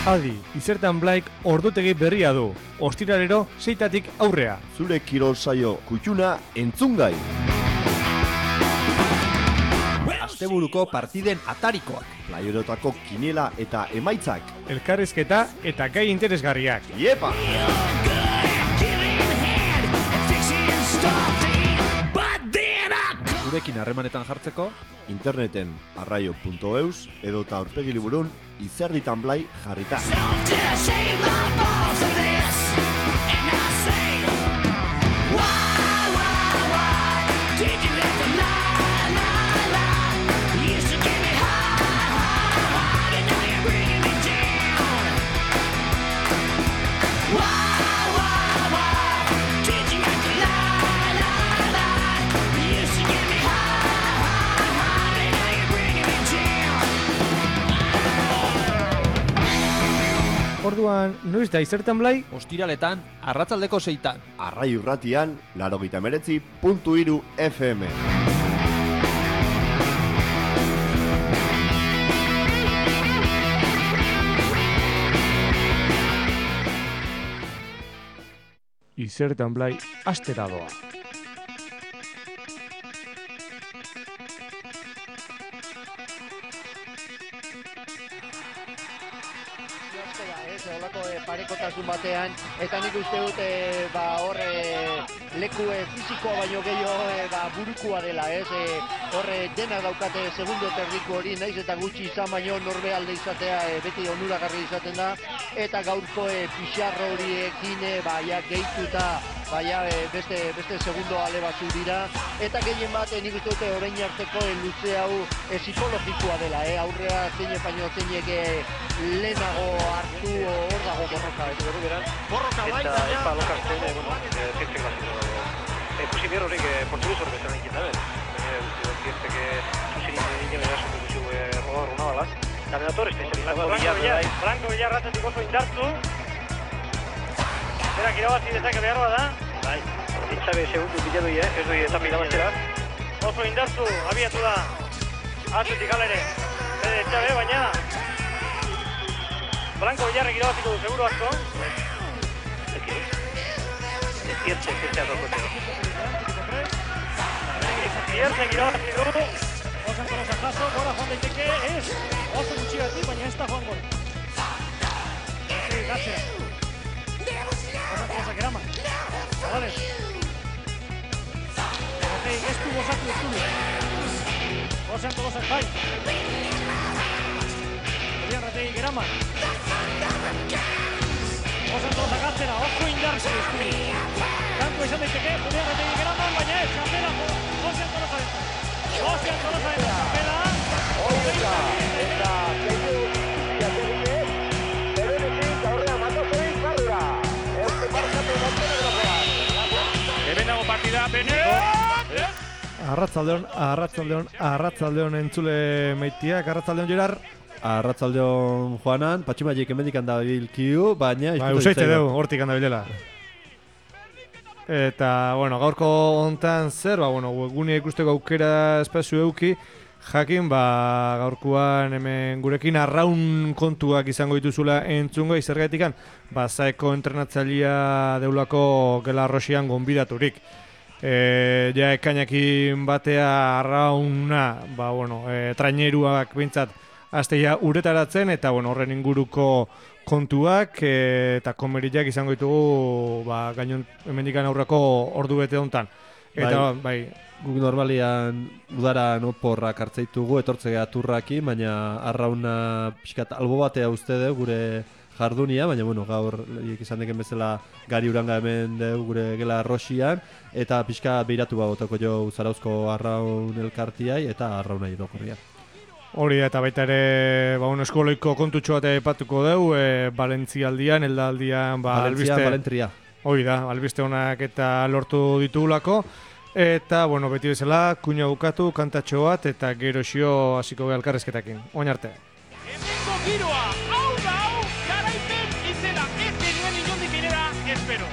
Adi, Izertan Blaik ordutegi berria du. Ostiralero 6tatik aurrea. Zure kirol saio kutxuna entzungai. Asteburuko partiden atarikoak. Playerotako kiniela eta emaitzak. Elkarrizketa eta gai interesgarriak. Iepa! Gurekin harremanetan jartzeko Interneten arraio.eus edota aurpegi liburun Izerditan Blai jarrita. Orduan, noiz da Izertan Blai? ostiraletan arratsaldeko 6tan. Arrai urratian 89.3 FM. Izertan Blai astera doa. Olako parekotasun batean, eta nik uste dut leku fizikoa baino gehiago burukua dela, dena daukate segundo terdiko hori, naiz eta gutxi izan baino norbe alde izatea beti onuragarri izaten da, eta gaurko pixarro horiekin gehituta beste segundo ale batzu dira, eta gehien bat nik uste dute orain arteko luze hau psikologikoa dela, aurrea zein baino zeinek lehenago hartu hor dago borroka, borroka bai, eta epa lokartzen, zirtzek bazito. Ikusi behar horiek portuguz hori bezala egin da, zirtzek zuzin egin da zuen guzio rodar una balak. Dominador Franco Villar ratzetik oso indartu. Berak irabazi dezake behar da. Bai, ditzabe segundu bilatu ez doi eta irabaztera. Oso indartu, abiatu da. Atzetik alere. Ditzabe, baina Franco Villarrek irabaziko du, seguro asko. Zirtzek irabaziko du. Osan kolosa jaso, gora joan daiteke, oso gutxigatik, baina ez da joan gol. Gatzera. Osan kolosa geraman. Zabales. Ez du gozatu ez du. Osan kolosa bai. Julián Rategi geraman. Osan kolosa gatzera, oso indartu ez du. Kanko izan daiteke, Julián Rategi geraman, baina ez, txapela, Osan kolosa ez. Ozean Tolosa eta txapela. Oieta, eta zeitu ziaterik berenetik aurrea matozoin zarrura. Euste parkatu Montenegrokoa. Hemen dago partida, Arratsaldeon entzule meitiak, arratsaldeon Gerar. Arratsaldeon Juanan, Patximaiek hemendikan dabilkiu, baina usaite dugu, hortik handa bilela. Eta, gaurko hontan zer, webgunea ikusteko aukera espazio euki, jakin, gaurkoan hemen gurekin arraun kontuak izango dituzula entzungo, izergatikan, zaeko entrenatzailea deulako Gela Rosian gonbidaturik. Ja ekainakin batea arrauna, traineruak bintzat, azteia uretaratzen, eta horren inguruko kontuak eta komeriak izango ditugu gainon hemendikan aurreko ordu bete hontan. Eta guk normalian udaran oporrak hartzeitugu etortzea turraki, baina arrauna pixkat albo batea uste dugu gure jardunia, baina gaur izan deken bezala gari uranga hemen dugu gure Gela Rosian, eta pixka behiratu botako jo Zarauzko arraun elkartiai eta arraunai dokorria. Hori eta baita ere eskoloiko kontutxo bat epatuko dugu, Valentzialdian, Eldaldian, Valentria. Hori da, albiste honak eta lortu ditugulako. Eta, beti bezala, kuina bukatu, kantatxo bat, eta gero xio hasiko gara elkarrezketakin. Oin arte. Hemengo giroa, hau da hau, garaipen izena, ez genuen inondik inera, espero.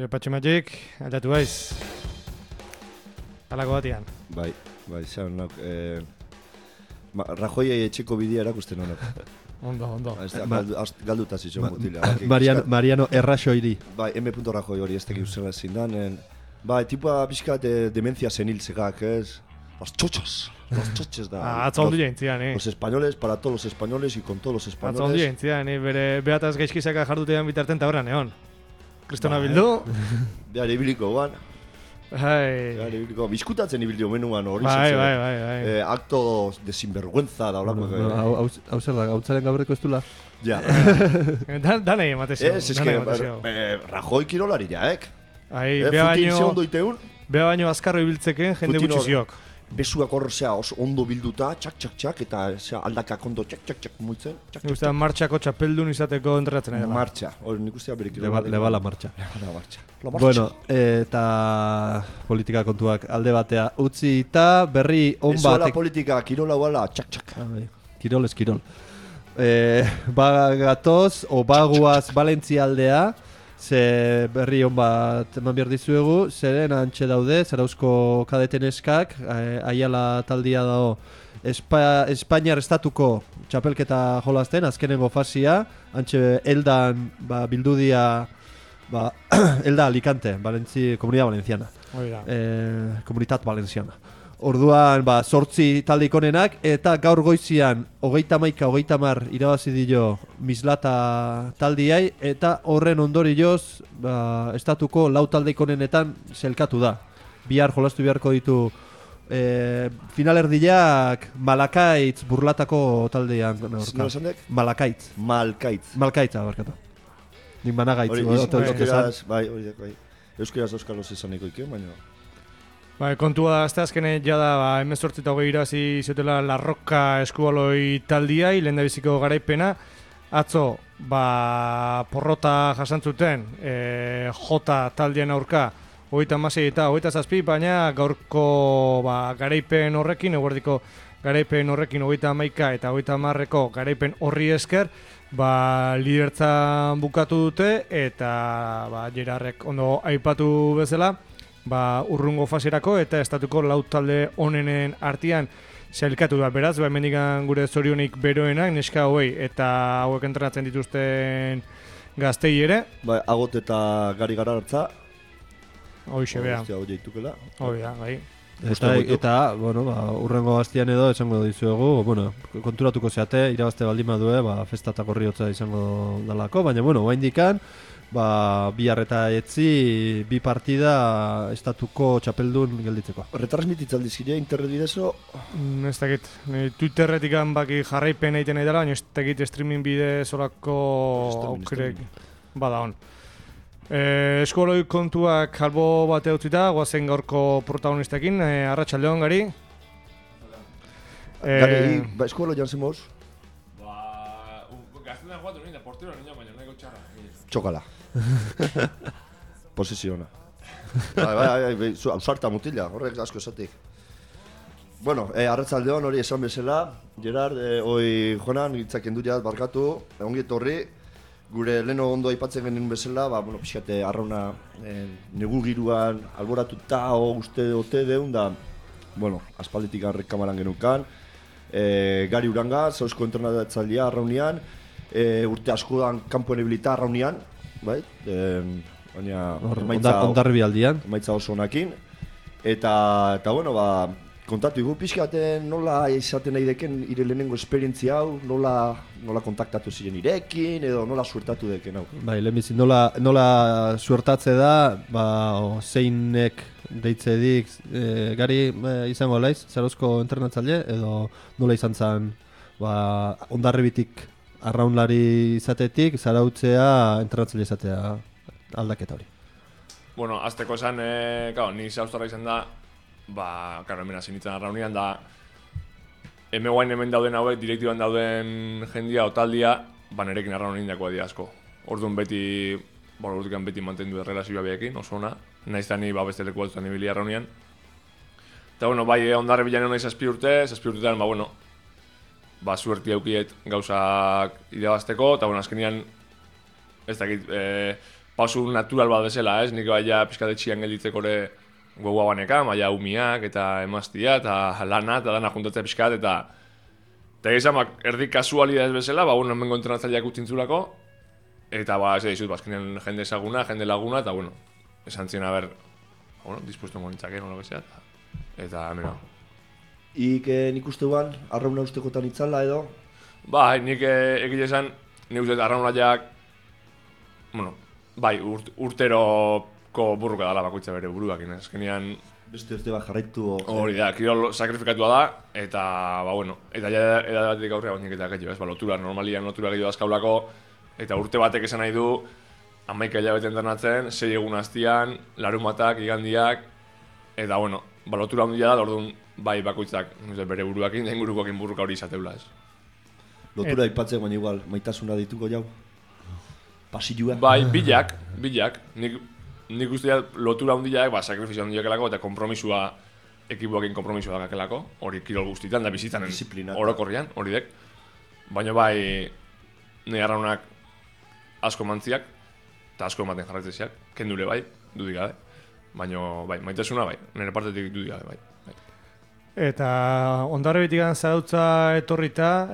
Patxi Magic, aldatu baiz. Halako batian. Bai, zan, Rajoi etxeko bidea erakusten honak. Ondo. Galduta zizio mutila. Mariano Erraxoiri. Bai, M. Rajoi hori ez tekik uzela zindan. Bai, tipua pixkat demencia seniltzekak, ez? Los chochos da. Atzaldu jaintzian, Los españoles, para todos los españoles y con todos los españoles. Atzaldu jaintzian, bere behataz gaizkizaka jardutean bitarten ta horran, egon. Kristona bildu. Behar ibiliko guan. Bai. Bizkutatzen ibildio menuan hori. Bai. Acto de sinvergüenza da olako. Hau zer da, gautzaren gaurreko ez dula? Ja. Danei ematezio. Ez que, Rajoi kirolari jaek. Beha baino azkarro ibiltzeken jende gutxiziok. Besuak horrezea ondo bilduta, txak, eta aldakak ondo txak, muitzen. Nik ustean martxako txapeldun izateko entrenatzen ari dela. Martxa, hori nik ustean berik. Lebala martxa. Bueno, eta politika kontuak alde batea utzi eta berri on bat. Ezola politika, kirola guala, txak. Kirol ez kirol. Bagatoz, o baguaz Valentzia aldea, ze berri on bat eman behar dizuegu, zeren antxe daude, Zarauzko kadeten eskak, Aiala taldia dago Espainiar estatuko txapelketa jolazten, azkenengo fasia, antxe Eldan bildudia, Elda Alicante, Comunidad Valenciana, Comunitat Valenciana. Orduan, 8 taldeik onenak, eta gaur goizian 30 irabazi dio Mislata taldiai, eta horren ondorioz estatuko 4 taldeik onenetan zelkatu da. Bihar jolastu beharko ditu finalerdiak Malakaitz burlatako taldean Nola aurka. esan dek? Malakaitz. Malkaitz. Barkatu. Nik Managaitz. Hori, ote esan. euskeraz, bai. Euskeraz euskalos esaniko iken, baina... Bai, kontua da, azte azkene jada, 18 irazi zutela La Roca eskubaloi taldiai, lehen da biziko garaipena. Atzo, porrota jasantzuten, J taldean aurka, 36 eta 27, baina gaurko garaipen horrekin, eguerdiko garaipen horrekin 31 eta 30ko garaipen horri esker, lidertzan bukatu dute, eta Gerarrek ondo aipatu bezala, urrungo faserako eta estatuko lau talde onenen artean sailkatu da. Beraz, hemendikan gure zorionik beroenak, neska hauei eta hauek entrenatzen dituzten gaztei ere. Bai, Agot eta Gari Garartza. Hoixe, bea. Hau jaitukela. Hoi da, bai. Eta urrengo gaztian edo esango dizuegu, konturatuko zeate, irabazte baldin badue, festa eta korriotza izango dalako, baina, oraindikan, bihar eta etzi, bi partida estatuko txapeldun gelditzeko. Retransmititzaldi zire internet bidezo? Ez dakit, Twitterretik baki jarraipen egiten nahi dela, baina ez dakit streaming bide zorako aukerek bada hon. Eskoloi kontuak albo bate utzita, guazen gaurko protagonistekin, arratsaldeon Gari. Gari, eskoloi jantzen moz? Gaztetan guatu nien da portero nien, baina nahiko txarra. Txokala. Posesiona. Bai, ausarta mutila, horrek asko esatik. Bueno, arratsaldeon hori esan bezala, Gerard, hoi jonan, hitzak endu jat, barkatu, ongi etorri. Gure leno ondo aipatzen genuen bezala, pixkate arrauna negu giruan alboratuta uste ote deun da, aspalditik kamaran genukan. Gari Uranga, zauzko entrenatzailea arraunean, urte askoan kanpoen ebilita arraunean, bai? Baina ondarribi aldian. Emaitza oso honakin. Eta kontatu igu pixkaten nola izaten nahi deken ire lehenengo esperientzia hau, nola kontaktatu ziren irekin, edo nola suertatu deken hau. Bai, lehenbizi, nola suertatze da, zeinek deitzedik, Gari izango laiz, Zarozko entrenatzaile, edo nola izan zen ondarribitik arraunlari izatetik, zarautzea entrenatzaile izatea aldaketa hori. Bueno, azteko esan, ni zauztarra izan da, hemen hasi nintzen arraunean da hemen dauden hauek, direktiban dauden jendia o taldia, nerekin arraun nindakoa dira asko. Orduan beti, urtikan beti mantendu errelazioa behekin, oso ona. Naizta ni beste leku batzutan ibili arraunean. Eta bai, ondarre bilan egon nahi 7 urteetan, suerti aukiet gauzak irabazteko, eta azkenean, ez dakit, pausu natural bat bezala, ez? Nik baina pizkatetxian gelditzeko ere gogoa baneka, maia umiak eta emaztia eta lana eta dana juntatzea pixkat eta egizan erdi kasualidad ez bezala, hemengo entrenatzaileak utzintzulako eta ez dizut, azkenean jende ezaguna, jende laguna eta esan ziren dispuesto monitzake, nola bezala eta mira. Nik uste guan, arrauna ustekotan itzala edo? Nik egile esan, nik uste arraunaileak urteroko burruka dala bakoitza bere buruakin, azkenean beste urte bat jarraitu hori da, kirol sakrifikatua da eta eta edatik aurrera bainik eta gehiago, normalian lotura gehiago azkaulako eta urte batek esan nahi du 11 hilabete entrenatzen, 6 egun hastian, larumatak, igandiak eta lotura handia da, orduan bakoitzak bere buruakin, da ingurukoakin burruka hori izateula ez. Lotura aipatzen baina igual, maitasuna dituko jau? Pasilua? Bilak. Nik uste lotura handiak, sakrifizio handiakelako eta kompromisua, ekibuakin kompromisua dakakelako, hori kirol guztitan da bizitzen orokorrian, hori dek. Baina nahi arraunak asko mantziak, eta asko ematen jarraitzeziak, kendure dudik gabe. Baina maitasuna nire partetik dudik gabe Eta ondarribitikan zarautza etorrita,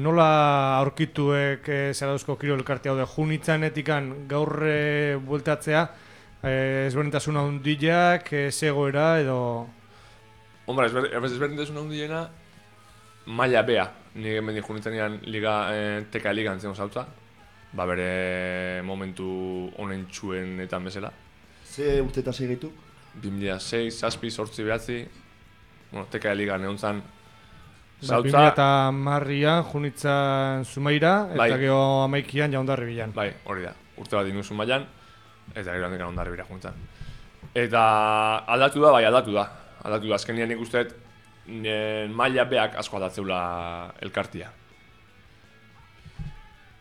nola aurkituek zarauzko kirol elkarte hau de junitzanetikan gaur bueltatzea, ezberdintasuna handiak, zegoera edo... Hombre, ezberdintasuna handiena maila bea. Nik hemen junitzanean teka ligan zen zarautza, bere momentu honen txuenetan bezala. Ze urte eta segeitu? 2006, 7, 8, 9... bueno, TK Ligan egon zan, Zautza... 2010an junitzan Zumaira, eta gero 11an Jaundarri bilan. Bai, hori da, urte bat inu Zumaian, eta gero handik Jaundarri bila juntzan. Eta aldatu da, bai aldatu da. Aldatu da, azkenian nik usteet maila beak asko aldatzeula elkartia.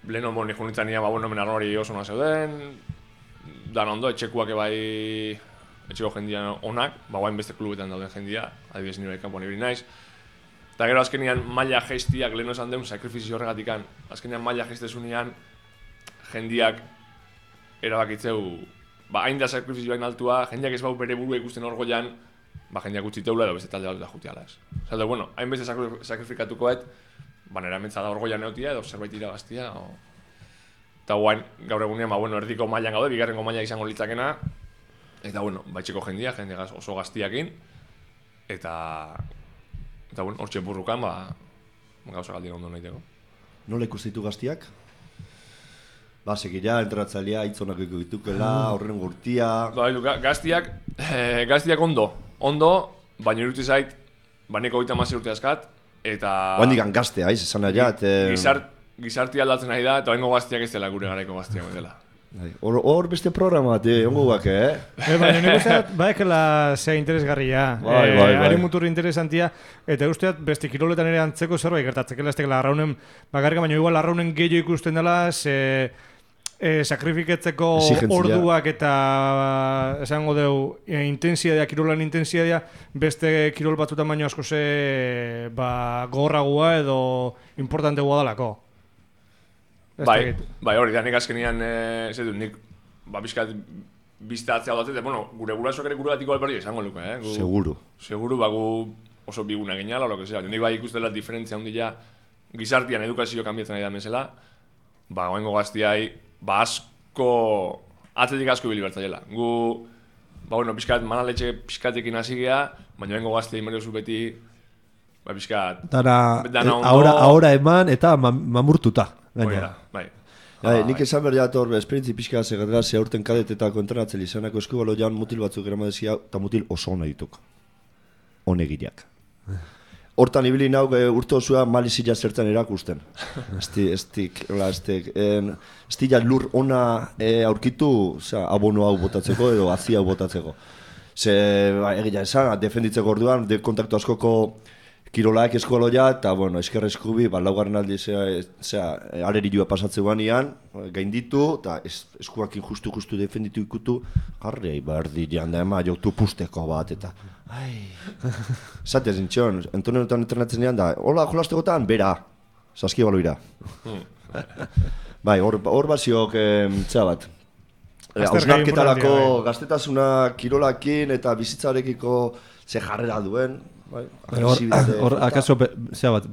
Lehen honbo nik junitzan nien, hemen arrori oso na zeuden, dan ondo, etxekuak ebai, etxeko jendia onak, guain beste klubetan dauden jendia, adibidez nire kanpoan ibili naiz. Eta gero azkenian maila geistiak lehen esan deun sakrifizio horregatikan, azkenian maila geistezunean jendiak erabakitzeu, hain da sakrifizioain altua, jendiak ez bau bere burua ikusten orgoian, jendiak utziteula edo beste talde bat da jutiala ez. Zalde, bueno, hain beste sakrifikatukoet, nera mentza da orgoian neotia edo zerbait irabaztia. Eta guain, gaur egunean, erdiko mailan gaude, bigarrengo maila izango litzakena, eta baitxeko jendia oso gaztiakin, eta hortxe burrukan, gauza galdien ondo nahiteko. Nola ikustitu gaztiak? Segila, entratzailea, hitzonak ikutukela, horren gurtia... Gaztiak ondo, baina irutu zait, baneko 30 urte askat, eta... Oandikan gaztea, esan nahi Gizartia aldatzen nahi da, eta oingo gaztiak ez dela gure garaiko gaztiak dela. Hor beste programa bat, ongo guak, Baina nik usteat, baekela zea interesgarria, ari muturri interesantia, eta usteat beste kiroletan ere antzeko zerbait gertatzekela, ez tekela arraunen bakarka, baina igual arraunen gehiago ikusten dela, sakrifiketzeko orduak eta esango deu intensidadea, kirolan intensidadea, beste kirol batzutan baino asko gogorragoa edo importantegoa dalako. Bai, hori da, nik azkenian, nik bizkat biztatzea datzet, gure gurasoak ere guregatiko alberdi esango luke, Seguru. Seguru, gu oso biguna geniala, lo que sea. Nik bai ikustela diferentzia handia gizartian edukazio kanbiatzen nahi da mesela, goengo gaztiai, asko, atletik asko ibili bertzaiela. Gu, bizkat, manaletxe bizkatekin hasi geha, baina goengo gaztiai meriozu beti, bizkat... Ahora eman eta mamurtuta. Bai. Nik esan behar jator, esperientzi pixka segatgazia urten kadetetako entrenatzen izanako eskubalo jan mutil batzuk eramadezia, eta mutil oso hona dituk. Honegiriak. Hortan ibili nauk urte osua malizila zertan erakusten. Estila lur ona aurkitu abono hau botatzeko edo azia hau botatzeko. Egia esan, defenditzeko orduan, kontaktu askoko kirolaak eskoloia, eta, eskerra eskubi, laugarren aldi, arerilua pasatzeuan ian, gainditu, eta eskuakin justu defenditu ikutu, jarri, dian da, joktu pusteko bat, eta, Zate zintxon, entonetan entrenatzen ean da, hola, jolastegotan, bera, saski baloira. Bai, hor baziok, bat, hausnarketarako gaztetasuna kirolakin eta bizitzarekiko ze jarrera duen, hor, akaso,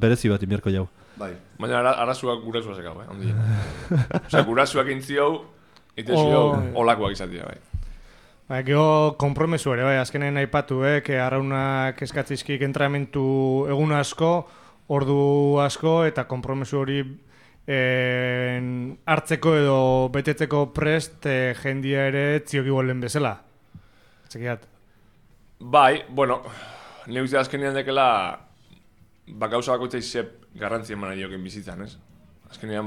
berezi bat inbierko jau. Baina arazuak gurasuak zekau, ondien. Osea, gurasuak intziau, itezio, olakoak izatea, bai. Gero kompromesu ere, azkenen aipatu, arraunak eskatzizkik entrenamentu egun asko, ordu asko, eta kompromesu hori hartzeko edo betetzeko prest jendia ere tziok igualen bezala. Txekiat. Bai, nire uste azkenean dekela gauza bakoitzai zep garrantzien eman dioken bizitzan, ez? Azkenean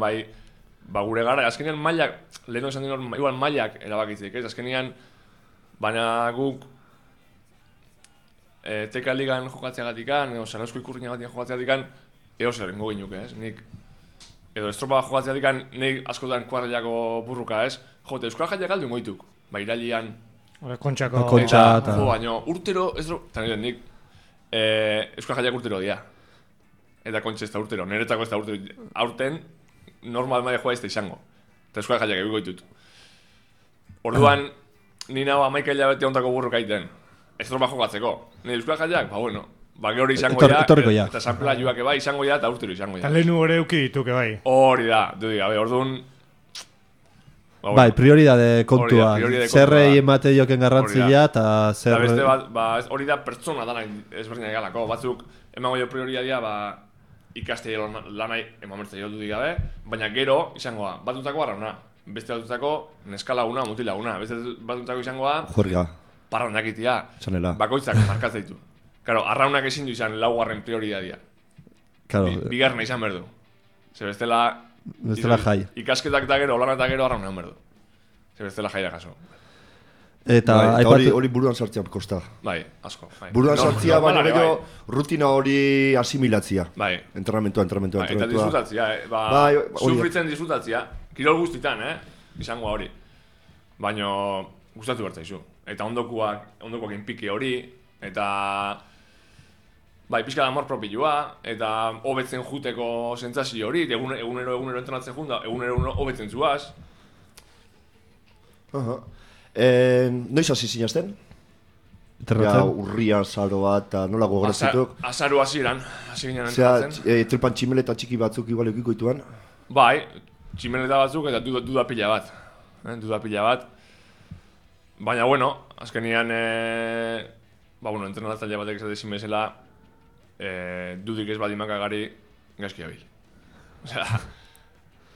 gure gara, azkenean mailak, leheno esan dien hor, igual mailak erabakitzeik, ez? Azkenean, baina guk TK Ligan jokatzeagatikan, edo Zarauzko ikurriñagatik jokatzeagatikan, edo zerrengo ginuke, ez? Nik, edo estropa jokatzeagatikan, nik askotan kuarrelako burruka, ez? Jote, Euskal Jaiak aldu moituk, iralian... Kontxako... Baina, urtero, ez dut, eta nik, Euskal Jaiak urtero dia. Eta kontxe ez da urtero, niretzako ez da urtero. Aurten, normal maia joa ez da izango. Eta Euskal Jaiak egiko ditut. Orduan, ni nago 11 hilabete ontako burruka iten. Ez tropa jokatzeko. Ni Euskal Jaiak, gero izango ja. Eta sanpela joak eba izango ja, eta urtero izango ja. Eta lehenu hori euki dituke bai. Hori da, orduan... Bai, prioridade kontua. Zerrei emate joken garrantzia eta zer... Eta beste bat, hori da pertsona danak ezberdinak galako. Batzuk, emango jo prioridadea, ikastea lanai emamertza jo dudik gabe, baina gero izangoa, batutako arrauna. Beste batutako neskalaguna, mutilaguna. Beste batutako izangoa... Juerga. Parrandakitia. Zanela. Bakoitzak markatzeitu. Claro, arraunak ezin du izan laugarren prioridadia. Claro, Bigarna izan berdu. Ze bestela jai. Ikasketak da gero, olana eta gero arraunan berdu. Ze bestela jaia kaso. Eta Bai, eta hori buruan sartzea kosta. Bai, asko. Bai. Buruan sartzea, baina normala, gero rutina hori asimilatzia. Bai. Entrenamentua. Eta disfrutatzia, Bai, sufritzen disfrutatzia. Kirol guztitan, izango hori. Baina gustatu bertzaizu. Eta ondokoak inpiki hori, eta bai, pixka da amor propioa, eta hobetzen juteko sentsazio hori, egunero entrenatzen junda, egunero hobetzen zuaz. Noiz hasi zinazten? Ja, urria, zaro bat, eta nola gogorazituk? Azaro hasieran, hasi ginen entrenatzen. Trepan tximeleta txiki batzuk igual eukiko dituan? Bai, tximeleta batzuk eta duda pila bat. Duda pila bat. Baina, bueno, azkenian, entrenatzaile batek esatezin bezala, dudik ez baldin makagari, gaizki abil. Osea,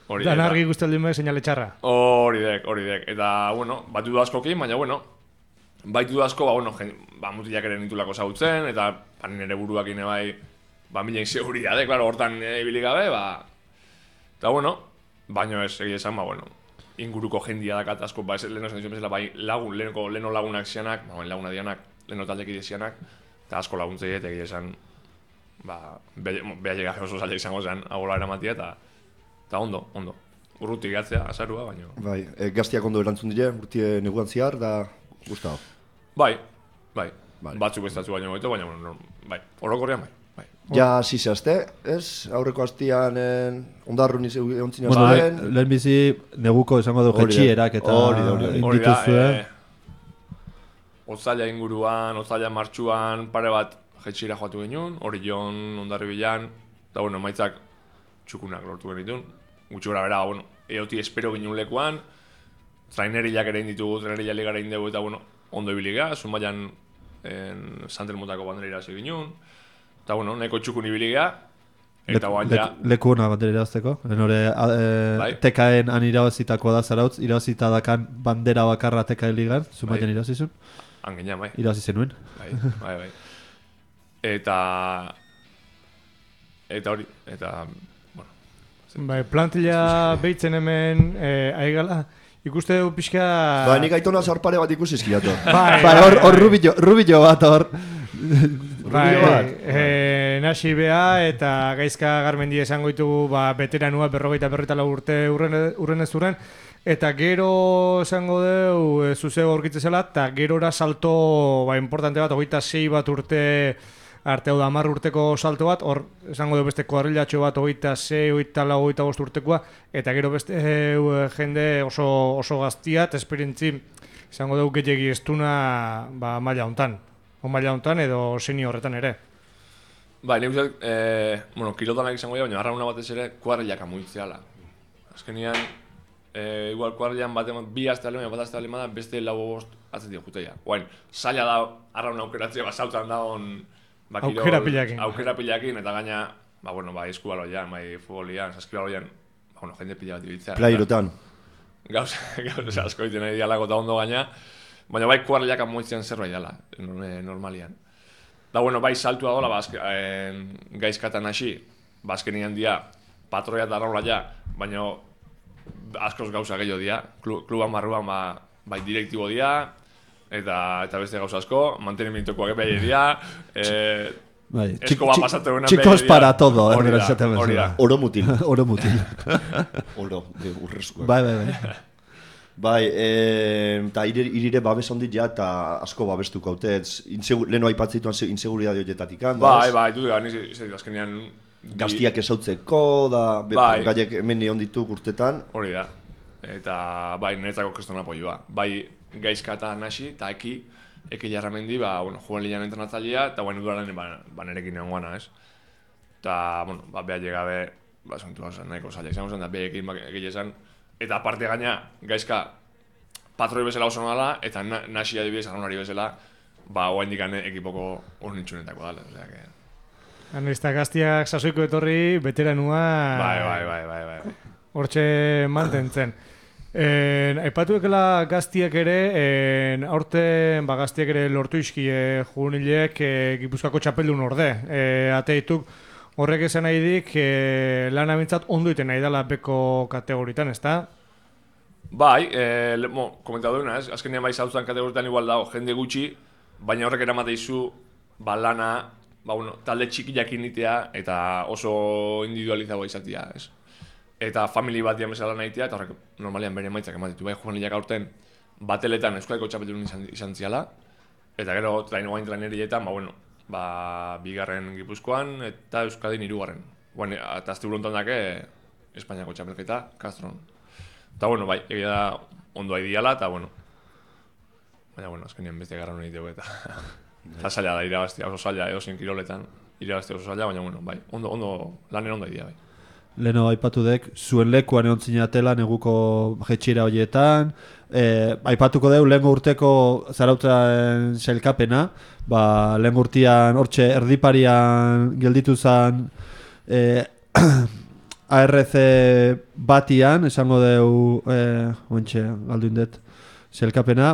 hori dek. Dan argi guztaldin bai seinale txarra. Hori dek. Eta, bueno, bat duda askokin, baina, bueno, baitu duda asko, mutilak ere nitulako zautzen, eta nire buruak ine bai, mila inseguridade, klaro, hortan ibili gabe, eta, bueno, baina ez, egia esan, inguruko jendia dakat asko, leheno esan dizuen bezala, leheno lagunak zianak, laguna dianak, leheno taldeki dizianak, eta asko laguntzei, eta egia esan, beha llegaje oso zaila izango zen, agola eramatia, eta ondo. Urrutik gatzea, azarua, baina... Bai, gaztiak ondo erantzun dire, urtie neguan ziar, da gustao. Bai. Batzuk bestatzu baino goito, baina, bai, orokorrean bai. Ja, zizazte, ez? Aurreko hastian ondarrun ontzina bueno, zuen. Lehen bizi neguko esango du jetxierak eta hori Otzaila inguruan, otzaila martxuan, pare bat jetxiera joatu genuen, hori jon, ondarri bilan, eta bueno, maitzak txukunak lortu genitun. Gutxi gara bera, eoti espero ginen lekuan, trainerilak ere inditugu, trainerilak ligara indegu, eta bueno, ondo ibiliga, Zumaian Santelmotako banderera hasi ginen, eta bueno, neko txukun ibiliga, eta guan ja... Leku hona bandera irazteko, TKN han irabazitako da Zarautz, irabazita dakan bandera bakarra TKN ligan, Zumaian irabazizun? Angenean, bai. Irabazizen nuen. Bai. Eta hori, bueno... Bai, plantilla behitzen hemen aigala, ikuste dugu pixka... Ba, nik aitona zarpare bat ikusi izkiatu. Hor rubilo bat hor... Nasi bea eta Gaizka Garmendi esango ditugu veteranua 54 urte urren ez urren, eta gero esango dugu zuzego aurkitze zela, eta gerora salto importante bat, 26 bat urte arte, hau da 10 urteko salto bat, hor esango dugu beste kuadrilatxo bat 26, 24, 25 urtekoa, eta gero beste jende oso gaztiat, esperientzi esango dugu gehiagi estuna maila hontan edo senior horretan ere. Bai, nik uste, kilotanak izango dira, baina arrauna batez ere kuadrilak amuitzeala. Azkenian, igual kuadrilan bi azte alemana, bat azte alemana, beste lau bost atzetik juteia. Oain, zaila da arrauna aukeratzea, zautan da hon... Aukera pilakin, eta gaina, eskubaloian, futbolian, saskibaloian, jende pila bat ibiltzea. Playerotan. Gauz asko iten nahi dialako eta ondo gaina, baina bai kuadrilak amuitzen zerbait dela, normalian. Da, bai saltua dola, gaizkatan hasi, azkenian dia, patroia eta arraula ja, baina askoz gauza gehiago dia, kluban barruan bai direktibo dia, eta beste gauza asko, mantenimientokoak behar dia, eskoba pasatu egunan behar dia. Chicos para todo, hori da. Oro mutil. Oro, urrezkoak. Bai. Bai, eta irire babes handi ja, eta asko babestuko haute, leheno aipatzituan inseguridade horietatik handa. Bai, dut gara, azkenean... Gaztiak esautzeko, gaiek hemen nion ditu urtetan. Hori da, eta niretzako kriston apoioa. Bai, gaizkatan hasi, eta eki jarramendi, juan linean entrenatzailea, eta uduraren nerekin egon gana, ez? Eta, behar llegabe, zontu hau nahiko zaila izango zen, eta behar ekin esan, eta aparte gaina, gaizka patroi bezala oso nala, eta nasi adibidez arraunari bezala, oain dikan ekipoko urnitxunetako dala. Anesta gaztiak sasoiko etorri, veteranua... Bai. Hortxe mantentzen. Aipatuekela gaztiek ere, aurten gaztiek ere lortu izkie juvenilek Gipuzkoako txapeldun orde. Ateituk horrek esan nahi dik lan amintzat ondo iten nahi dela beko kategoritan, ezta? Bai, komentatu duena, azkenean bai zauztan kategoritan igual dago, jende gutxi, baina horrek eramate izu lana, talde txikiak initea eta oso individualizagoa izatea, ez? Eta family bat dian bezala nahitea, eta horrek normalian bere emaitzak ematitu. Bai, juvenilak aurten bateletan Euskadiko txapeldun izan ziala, eta gero trainerietan, bigarren Gipuzkoan eta Euskadin 3. Eta azte burontan dake Espainiako txapelketa, Castron. Eta bai, egia da ondo haidiala, eta baina azkenean beste garran hori dugu eta zaila da irabaztia, oso zaila edo zen kiroletan, irabaztia oso zaila, baina bai, lanen ondo haidia bai. Leno aipatu dek, zuen lekuan egon zinatela neguko jetxira horietan, aipatuko deu lehen urteko zarautzen sailkapena, lehen urtean hortxe erdiparian gelditu zen ARC batian, esango deu, galdu indet, sailkapena,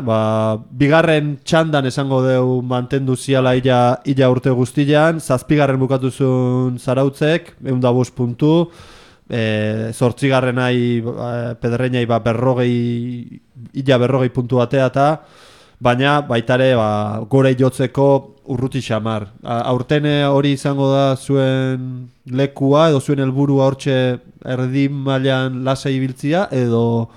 bigarren txandan esango deu mantendu ziala illa urte guztian, 7. bukatu zuen zarautzek, 105 puntu, 8. Pedreñai berrogei puntu batea baina baitare gore jotzeko urruti xamar. Aurten hori izango da zuen lekua edo zuen helburua hortxe erdi mailan lasai ibiltzia edo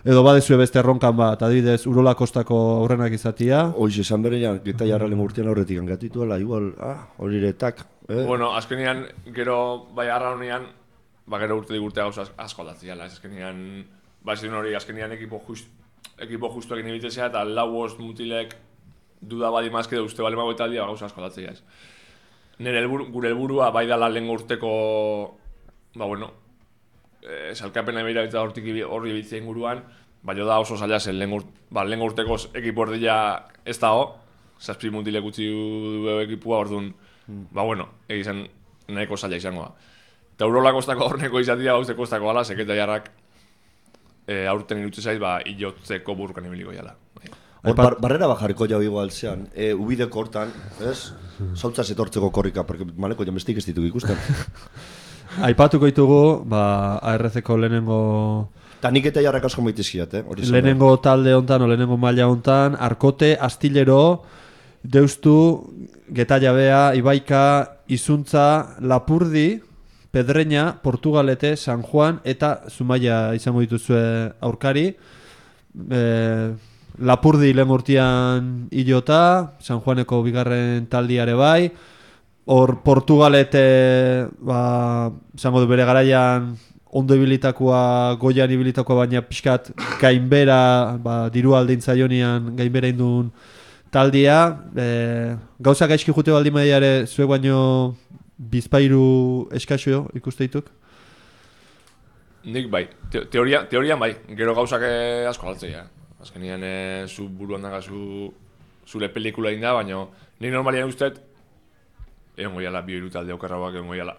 badezue beste erronkan bat, adibidez Urola Kostako aurrenak izatia. Hoxe, esan berean, Geta Jarralen urtean aurretik angatituela, igual, horiretak. Azkenean, gero, arra honean, gero urte gauza asko aldatziala. Azkenean, hori, azkenean ekipo justuak inibitezea eta 4 mutilek duda badi mazke da uste balemago eta aldia gauza asko aldatzea. Gure helburua bai dala lehen urteko, salkapena behira eta horri bitzia inguruan, da oso zaila zen lehen urteko ekipo erdila ez dago, 7 mutilek utzi du ekipua, orduan, egizan nahiko zaila izango da. Eta Urola Kostako horneko izatia gauze Kostako ala, Seketa Jarrak aurten irutze zait, iotzeko burrukan ibiliko jala. Barrera bajarriko jau igual zean, ubideko hortan, ez? Zautzaz etortzeko korrika, porque maleko jamestik ez dituk ikusten. Aipatuko ditugu, ARC-ko lehenengo... Ta nik eta Jarrak asko maitizkiat, lehenengo talde hontan, lehenengo maila hontan, Arkote, Astillero, Deustu, Getallabea, Ibaika, Izuntza, Lapurdi, Pedreña, Portugalete, San Juan eta Zumaia izango dituzue aurkari. Lapurdi lehen urtean ilota, San Juaneko bigarren taldiare bai. Hor Portugalete, izango du bere garaian ondo ibilitakoa, goian ibilitakoa, baina pixkat gainbera, diru aldein zaionian gainbera indun taldia. Gauza gaizki jute baldin badiare zuek baino bizpairu eskasio ikuste dituk? Nik bai, teorian bai, gero gauzak asko altzea. Azkenean zu buruan dagazu zure pelikula inda, baina nik normalian usteet egon goiala bi hiru talde okerrauak egon goiala.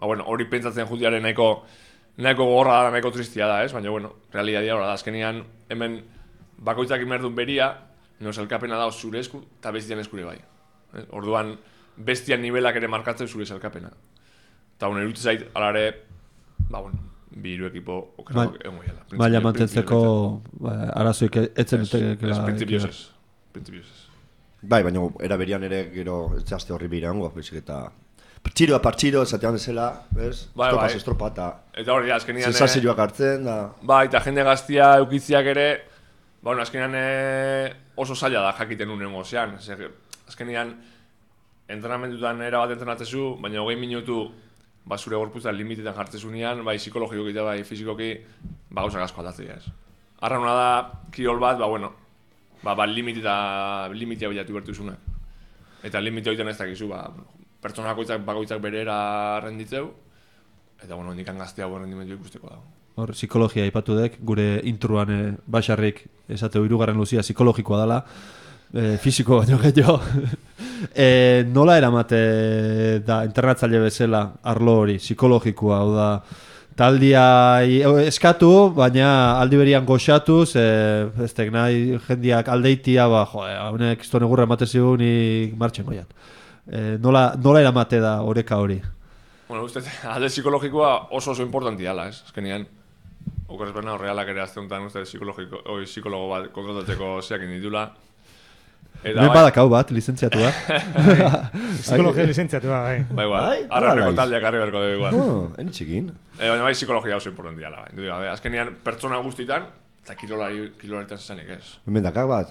Hori pentsatzen jutearen nahiko gorra da, nahiko tristia da, ez? Baina, realidadia hori da. Azkenean hemen bakoitzak imerdun beria, salkapena da zure esku eta bestian eskure bai. Orduan, bestian nivelak ere markatzen zure salkapena. Eta erutze zait, alare, bi hiru ekipo okerrauak egon goiala. Maila mantentzeko arazoik etzen dutekela. Printzipioz ez. Bai, baina eraberian ere gero etxaste horri birango, bezik eta partxiroa partxiro, esatean bezala, bez? Estropaz estropa eta hori da, azkenean sensazioak hartzen da. Bai, eta jende gaztia eukitziak ere, azkenean oso zaila da jakiten unengo zean. Azkenean, entrenamentutan erabat entrenatzezu, baina 20 minutu zure gorputzan limitetan jartzezunean, bai psikologikoki eta bai fizikoki, gauzak asko aldatzea ez. Arra hona da, kirol bat, limitea bilatu bertuzunak. Eta limitea horietan ez dakizu, pertsona bakoitzak berera renditzeu, eta indikan gaztea rendimentu ikusteko dago. Hor, psikologia aipatu dek, gure intruan Baxarrik esateu 3. luzia psikologikoa dela, fisiko baino gehiago. Nola eramate da internatzaile bezala arlo hori, psikologikoa, hau da, taldia eskatu, baina aldi berian goxatuz, ez tek nahi jendiak aldeitia, honek iztone gurra ematen zigun, nik martxen goiat. Nola eramate da oreka hori? Bueno, uste, alde psikologikoa oso importantia dela, ez? Azkenean, okorrez berna horrealak ere azte honetan, uste, psikologo bat kontratatzeko zeakin ditula. Hemen badakau bat, lizentziatua. Psikologia lizentziatua, bai. Bai, arrapeko taldeak arri berko dugu igual. Enitxekin. Baina bai psikologia oso importantia dela, bai. Azkenean, pertsona guztitan, eta kirolaritan zezanik ez. Hemen dakak bat.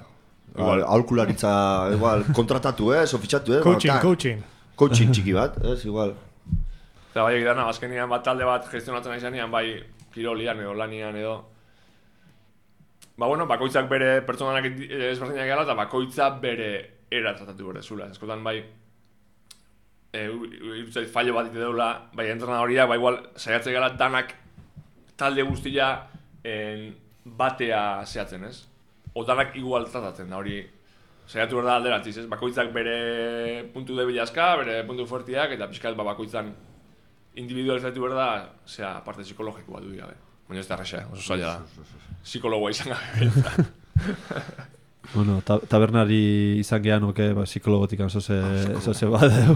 Aholkularitza, igual, kontratatu ofitxatu Coaching. Coaching txiki bat, igual. Eta bai egitana, azkenean bat talde bat gestionatzen nahi zanean, bai kirolian edo lanian edo. Bakoitzak bere pertsonanak ezberdinak gala eta bakoitzak bere era tratatu bere zula. Eskotan bai, irutzait fallo bat ite deula, bai entrenadoriak, bai igual saiatze gala danak talde guztia batea zehatzen, ez? O danak igual tratatzen da hori saiatu behar da alderatziz, ez? Bakoitzak bere puntu debilazka, bere puntu fuertiak eta pixkat bakoitzan individualizatu behar da, zera, parte psikologikoa du gabe. Baina ez da arrexa, oso zaila da. Psikologoa izan gabe. Bueno, tabernari izan gehan oke, psikologotik zoze badeu.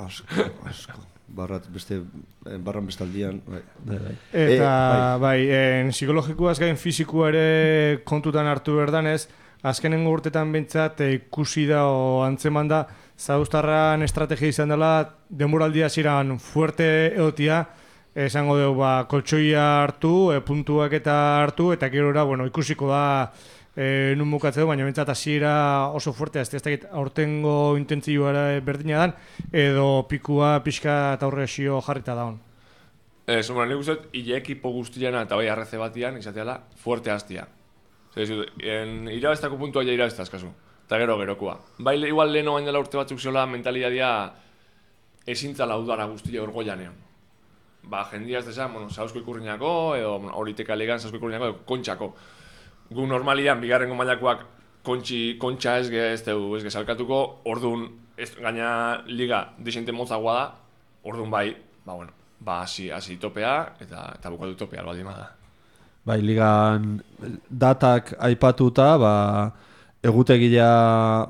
Asko. Barran bestaldian. Eta, psikologikoaz gain fizikoa ere kontutan hartu berdanez, azkenengo urtetan bintzat ikusi da o antzeman da, Zauztarran estrategia izan dela, denboraldia ziren fuerte egotia, esango dugu koltsoia hartu, puntuak eta hartu, eta gerora, ikusiko da nun bukatzea du, baina bintzat hasiera oso fuertea, ez dakit aurtengo intentzioa berdina dan, edo pikua pixka eta aurre esio jarrita daun. Nik uste, hile ekipo guztiana eta bai arreze batian, izateala, fuerte hastia. Irabestako puntua ja irabestaz, kasu. Eta gerokoa. Bai, igual leheno bain dela urte batzuk ziola mentalidadia ezintzala udara guztia orgoianean. Jendia ez desan, Sausko Ikurriñako, edo Horiteka Ligan Sausko Ikurriñako, edo Kontxako. Gu normalian, bigarrengo mailakoak kontxa ez salkatuko, orduan, gaina liga desente motzagoa da, orduan bai, hasi topea, eta bukatu topea, albaldin bada. Bai, ligan datak aipatuta, egutegia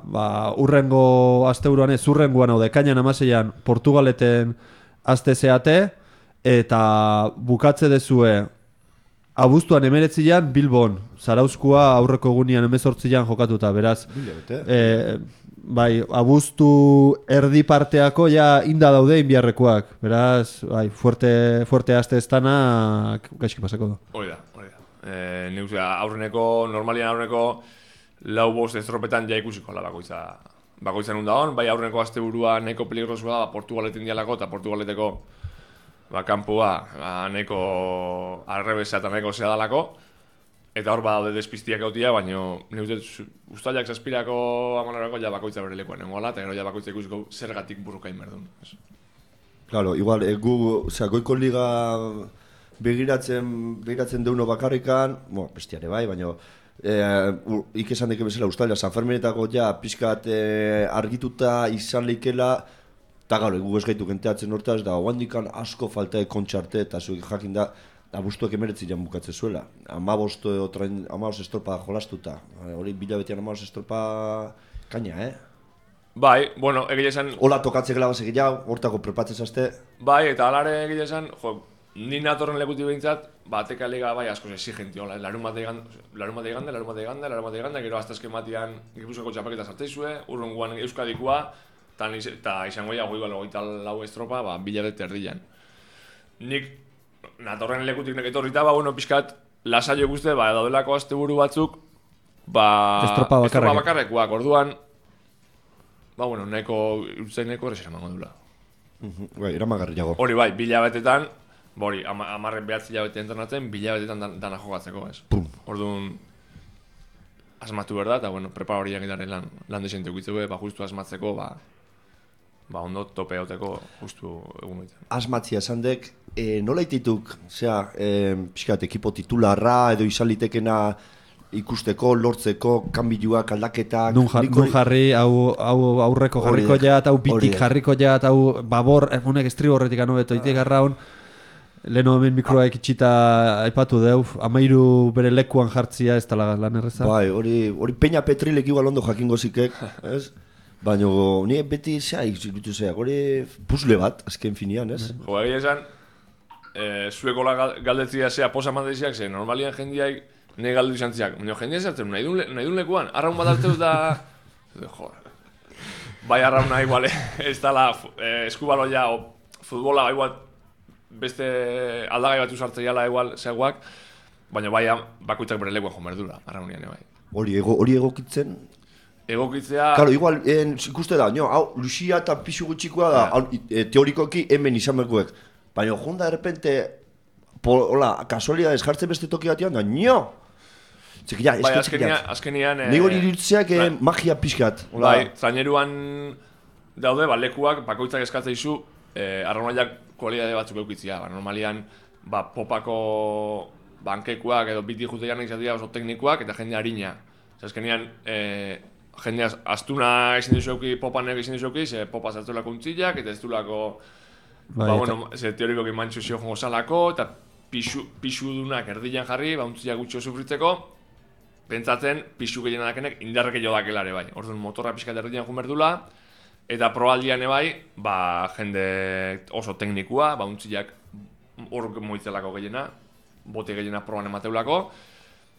urrengo asteburuan ez urrengoan hau dekainan amaseian Portugaleten aste zeate eta bukatze dezue abuztuan 19an Bilbon, Zarauzkoa aurreko egunean 18an jokatuta, beraz abuztu erdi parteako ja inda daude inbiarrekoak, beraz fuerte aste estanak gaizki pasako du. Hori da. Normalian aurreneko lau bost estropetan ja ikusiko la bakoitza nun dagoen, bai aurreneko asteburua nahiko peligrosua da Portugaleten dialako eta Portugaleteko kanpua nahiko arrebesa eta nahiko zea dalako eta hor badaude despistiak gautia, baina ustailak zazpirako amonarako ja bakoitza bere lekuan nengoela eta gero ja bakoitza ikusiko zergatik burrukain berdun. Claro, igual, goiko liga begiratzen deuno bakarrikan, bestiare bai, baina ikesan deke bezala ustaila San Ferminetako ja pixkat argituta izan leikela eta gaur egu ez gaitu genteatzen hortaz da oandikan asko falta kontxarte eta zuek jakin da abuztuak 19 jan bukatze zuela 15 estropa jolastuta hori bilabetean 15 estropa kaina, Bai, egia esan hola tokatze gela basek jau, hortako prepatzez azte Bai, eta alare egia esan ni natorren lekuti behintzat, ateka liga bai askoz exigenti, larun bat eganda, gero aztazken batian Gipuzkoako txapaketa sartzeizue, urrunguan Euskadikoa, eta izango ja goita lau estropa, bilabete erdian. Nik natorren lekutik neketorrita, pixkat, lasaio guzti, daudelako asteburu batzuk, estropa bakarrekoak, orduan, nahiko errexera mango dula. Eramagarriago. Hori bai, bilabetetan, amarren behatzi hilabete entrenatzen, bilabetetan dana jokatzeko, ez. Orduan, asmatu behar da, eta prepara horiak edaren lan desente ukitzeko, justu asmatzeko, ondo tope hauteko justu egun baitzen. Asmatzia esan dek, nola itituk, pixkat, ekipo titularra edo izan litekena ikusteko, lortzeko, kanbiluak, aldaketak... Nun jarri, hau aurreko jarriko jat, hau bitik jarriko jat, hau babor, egunek estribo horretik anu beto, itik garraun, Leno hemen mikroak itxita aipatu deu, 13 bere lekuan jartzia ez dela lan erreza. Bai, hori Peña Petrilek igual ondo jakingo zikek, ez? Baina ni beti iruditu zeak, hori puzle bat, azken finean, ez? Jo, egia esan, zuekola galdetzia zea posa mandeziak, ze normalian jendiak nahi galdu izan ziak. Baina jendia zertzen, nahi dun lekuan, arraun bat hartzeu da... Jo, bai arrauna igual, ez dala eskubaloia o futbola igual beste aldagai bat usartzeiala igual zegoak, baina bai bakoitzak bere lekuan jo merdura, arraunian bai. Hori egokitzen? Egokitzea... Claro, igual, ikuste da, hau, Lucia eta pixu gutxikoa da, teorikoki hemen izan berkuek. Baina, junda, de repente, hola, kasualidades jartzen beste toki batean da, Bai, azkenian... Nik hori irutzeak magia pixkat. Bai, zaineruan daude, lekuak, bakoitzak eskatzea izu, arraunaiak kualidade batzuk eukitzia. Normalian, popako bankekuak edo biti juteian izatea oso teknikoak eta jende harina. Azkenian, jende astuna ezin dizueki, popan ezin dizueki, ze popa zartulako untzillak eta ez dulako... Ze teorikoki mantxu zio jongo salako eta pixu dunak erdilan jarri, untzillak gutxo sufritzeko, pentsatzen pixu gehiena dakenek indarreke jo dakelare bai. Orduan motorra pixkat erdian jumerdula, eta proaldian bai, jende oso teknikua, untzillak hor moitzelako gehiena, bote gehiena proban emateulako,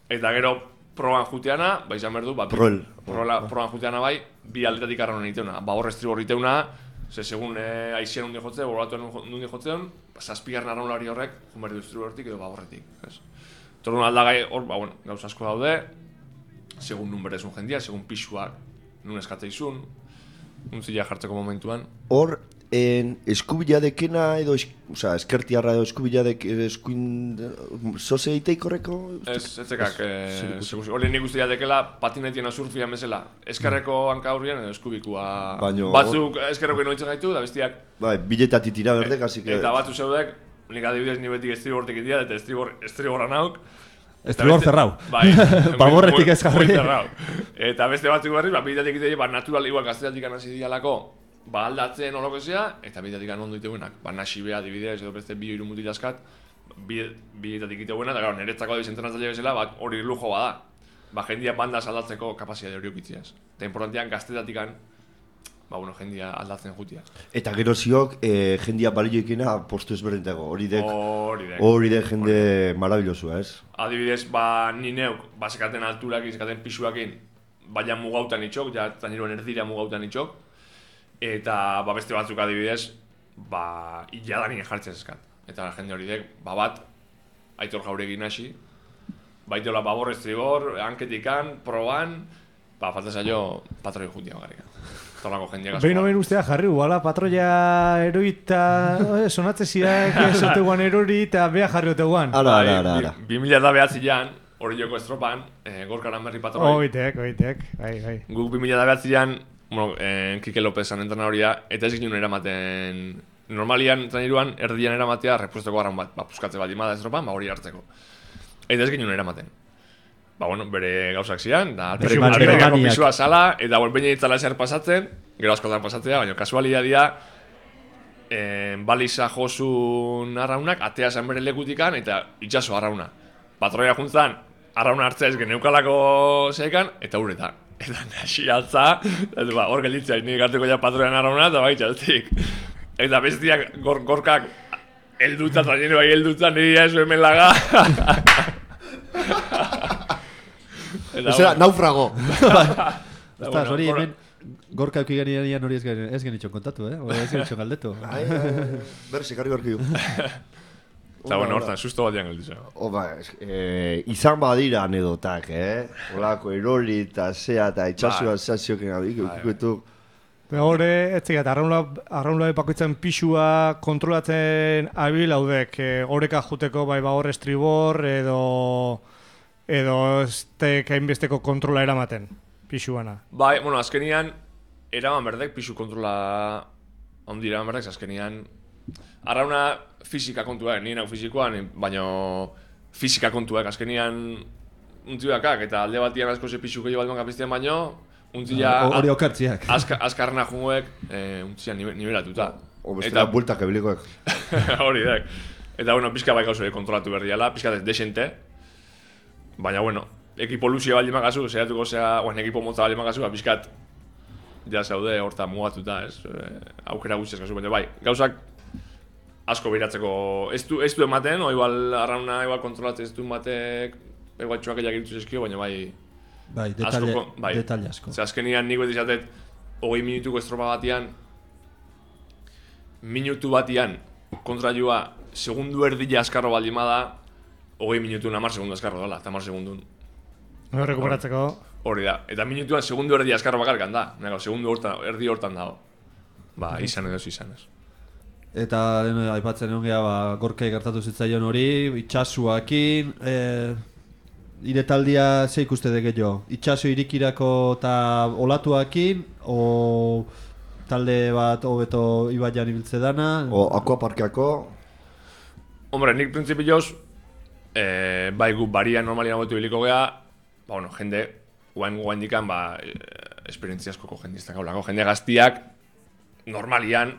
eta gero proban juteana, izan berdu, proban juteana bai, bi aldetatik arraun egiteuna. Hor estribor egiteuna, ze segun aizien hundi jotzea, borbatuen hundi jotzean, zazpigarren arraun hori horrek, jumerdu estribortik edo horretik. Torun aldagai hor, gauz asko daude, segun nun berezun jendia, segun pixuak nun eskatzeizun, untzila jartzeko momentuan. Hor, eskubila dekena edo, eskertiarra edo eskubila zoze eiteik horreko? Etzekak, hori nik uste dekela patinetiena surfia mesela, eskerreko hanka horrian edo eskubikua. Batzuk eskerreko inoitzen gaitu, da bestiak. Bai, biletatik tira berdek, así que... Eta batzu zeudek, nik adibidez nibetik estribortik idia, eta estriborra nauk. Estribor zerrau. Bai, baborretik ez jarri. Eta beste batzuk berriz, biletatik idia, natural igual gaztetatik anasi dialako, aldatzen holokezea, eta biletatik ondo iteguenak. Nasi beha adibidez, edo beste bi hiru mutilazkat, biletatik iteguenak, eta niretzako adibizentrenatzaile bezala, hori lujo bada. Jendia bandaz aldatzeko kapazia hori okitziaz. Eta importantean gaztetatikan, jendia aldatzen jutia. Eta gero ziok, jendia balioikena postu ezberdintago, hori dek jende marabilosua, ez? Adibidez, ni neuk, sekaten alturak, sekaten pixuakin, baina mugautan itxok, zaineruan erdira mugautan itxok, eta beste batzuk adibidez, hiladanik jartzen eskat. Eta jende hori dek, bat, Aitor Jauregin hasi, baiteola babor estribor, hanketikan, proban, falta zailo patroi jutia bagarrikan. Behin ustea jarri, guala patroia eroita sonatze ziak esoteguan erori eta beha jarri oteguan. Ara. 2009an, hori joko estropan, gorkaran berri patroi. Oitek. Guk 2009an, Kike Lopezan entrena horia, eta ez ginen eramaten, normalian traineruan erdian eramatea repuesteko garran bat, puskatze bat imada estropan, hori hartzeko. Eta ez ginen eramaten. Bere gauzak zian, da alperiko pisua sala, eta behin ditzala eser pasatzen, gero askotan pasatzea, baina kasualia dira, baliza josun arraunak, atea zen bere lekutikan, eta itxaso arrauna. Patroia juntzan, arrauna hartzea ez geneukalako zeikan, eta uretan. Eta nasi altza, hor gelditzea, nik harteko ja patroian arrauna, eta txaltik. Eta bestiak gorkak elduta, trainero bai elduta, niri ez hemen laga. Ezera, naufrago. Ostaz, hori hemen gorka euki genian hori ez genitxon kontatu, ez genitxon galdetu. Berse, karri barki du. Eta hortan, susto bat dian gelditzen. Izan badira anedotak, Olako erori eta zea eta itxasua zazioken abikuetu. Hore, ez zigat, arraunla epakoitzen pixua kontrolatzen abil haudek, horeka juteko hor estribor edo ez hainbesteko kontrola eramaten, pixuana. Bai, azkenian, eraman berdek pixu kontrola ondi eraman berdek, azkenian, arrauna fizika kontuak, nire nau fizikoan, baina fizika kontuak, azkenian untziakak, eta alde batian asko ze pixu gehiago bat kapiztean baino, hori okartziak. Azkarrena junguek, untzia nivelatuta. Obestela bultak ebilikoek. Hori dek. Eta, bueno, pizka bai gauzore kontrolatu berdiala, pizka desente. Baina, bueno, ekipo luzia baldin magazu, zeratuko zea, ekipo motza baldin magazu, pizkat ja zaude horta mugatuta, ez? Aukera guztiaz gazu, baina bai, gauzak asko behiratzeko ez du ematen, o igual arrauna igual kontrolatzen ez du ematek, igual txuakeiak iritu zezkio, baina bai... Bai, detalle asko. Zer, azkenian nik beti izatet, 20 minutuko estropa batian, minutu batian kontra joa, segundu erdila askarro baldin bada, 20 minutu 10 segundu askarro dela, 10 segundun. Rekuperatzeko. Hori da, eta minutuan segundu erdi askarro bakarkan da, segundu erdi hortan dago. Ba, izan edo izan ez. Eta aipatzen egon geha, Gorkai gertatu zitzaion hori, itxasuakin, iretaldia ze ikuste deke jo? Itxaso irikirako eta olatuakin, o talde bat hobeto ibaian ibiltze dana? O akuaparkeako? Hombre, nik printzipioz, bai gu barian normalian hobetu biliko geha, ba, bueno, jende, guain dikan, ba, esperientzia askoko jendiztak haulako. Jende gaztiak, normalian,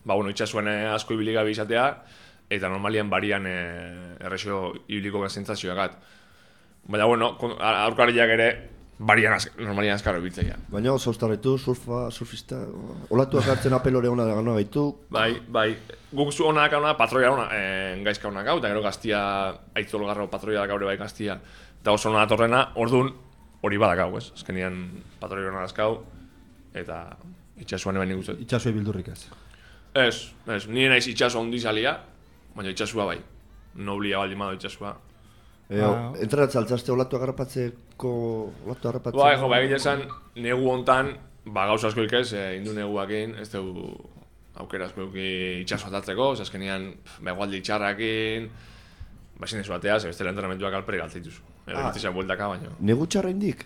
ba, bueno, itxasuen asko ibilik gabe izatea, eta normalian barian errexo ibiliko geha zentzazioakat. Baina, bueno, aurkariak ere, barian normalian azkarro ibiltzea. Baina, zauztarretu, surfista, olatuak hartzen apelore hona da gana gaitu. Bai, guk zu honak hona, patroia hona, gaizka honak hau, eta gero gaztia, aitzolgarro patroia gaur bai gaztia, eta oso hona datorrena, orduan, hori badakau, ez? Azkenian patroia hona dazkau, eta itxasuan eban nik uste. Itxasua bildurrik ez? Ez, nire naiz itxasua ondizalia, baina itxasua bai. Noblia baldin bado itxasua. Entrenatzen altzazte olatu agarrapatzeko, Bai, jo, bai egite esan, negu hontan, ba gauza asko ikez, indu neguakin, ez dugu aukera asko itxasua atatzeko, azkenian, ba egualdi txarrakin, ba ezin dezu ateaz, bestela entrenamentuak alpere galtzaituzu. Egitizia bueltaka baino. Negu txarra indik?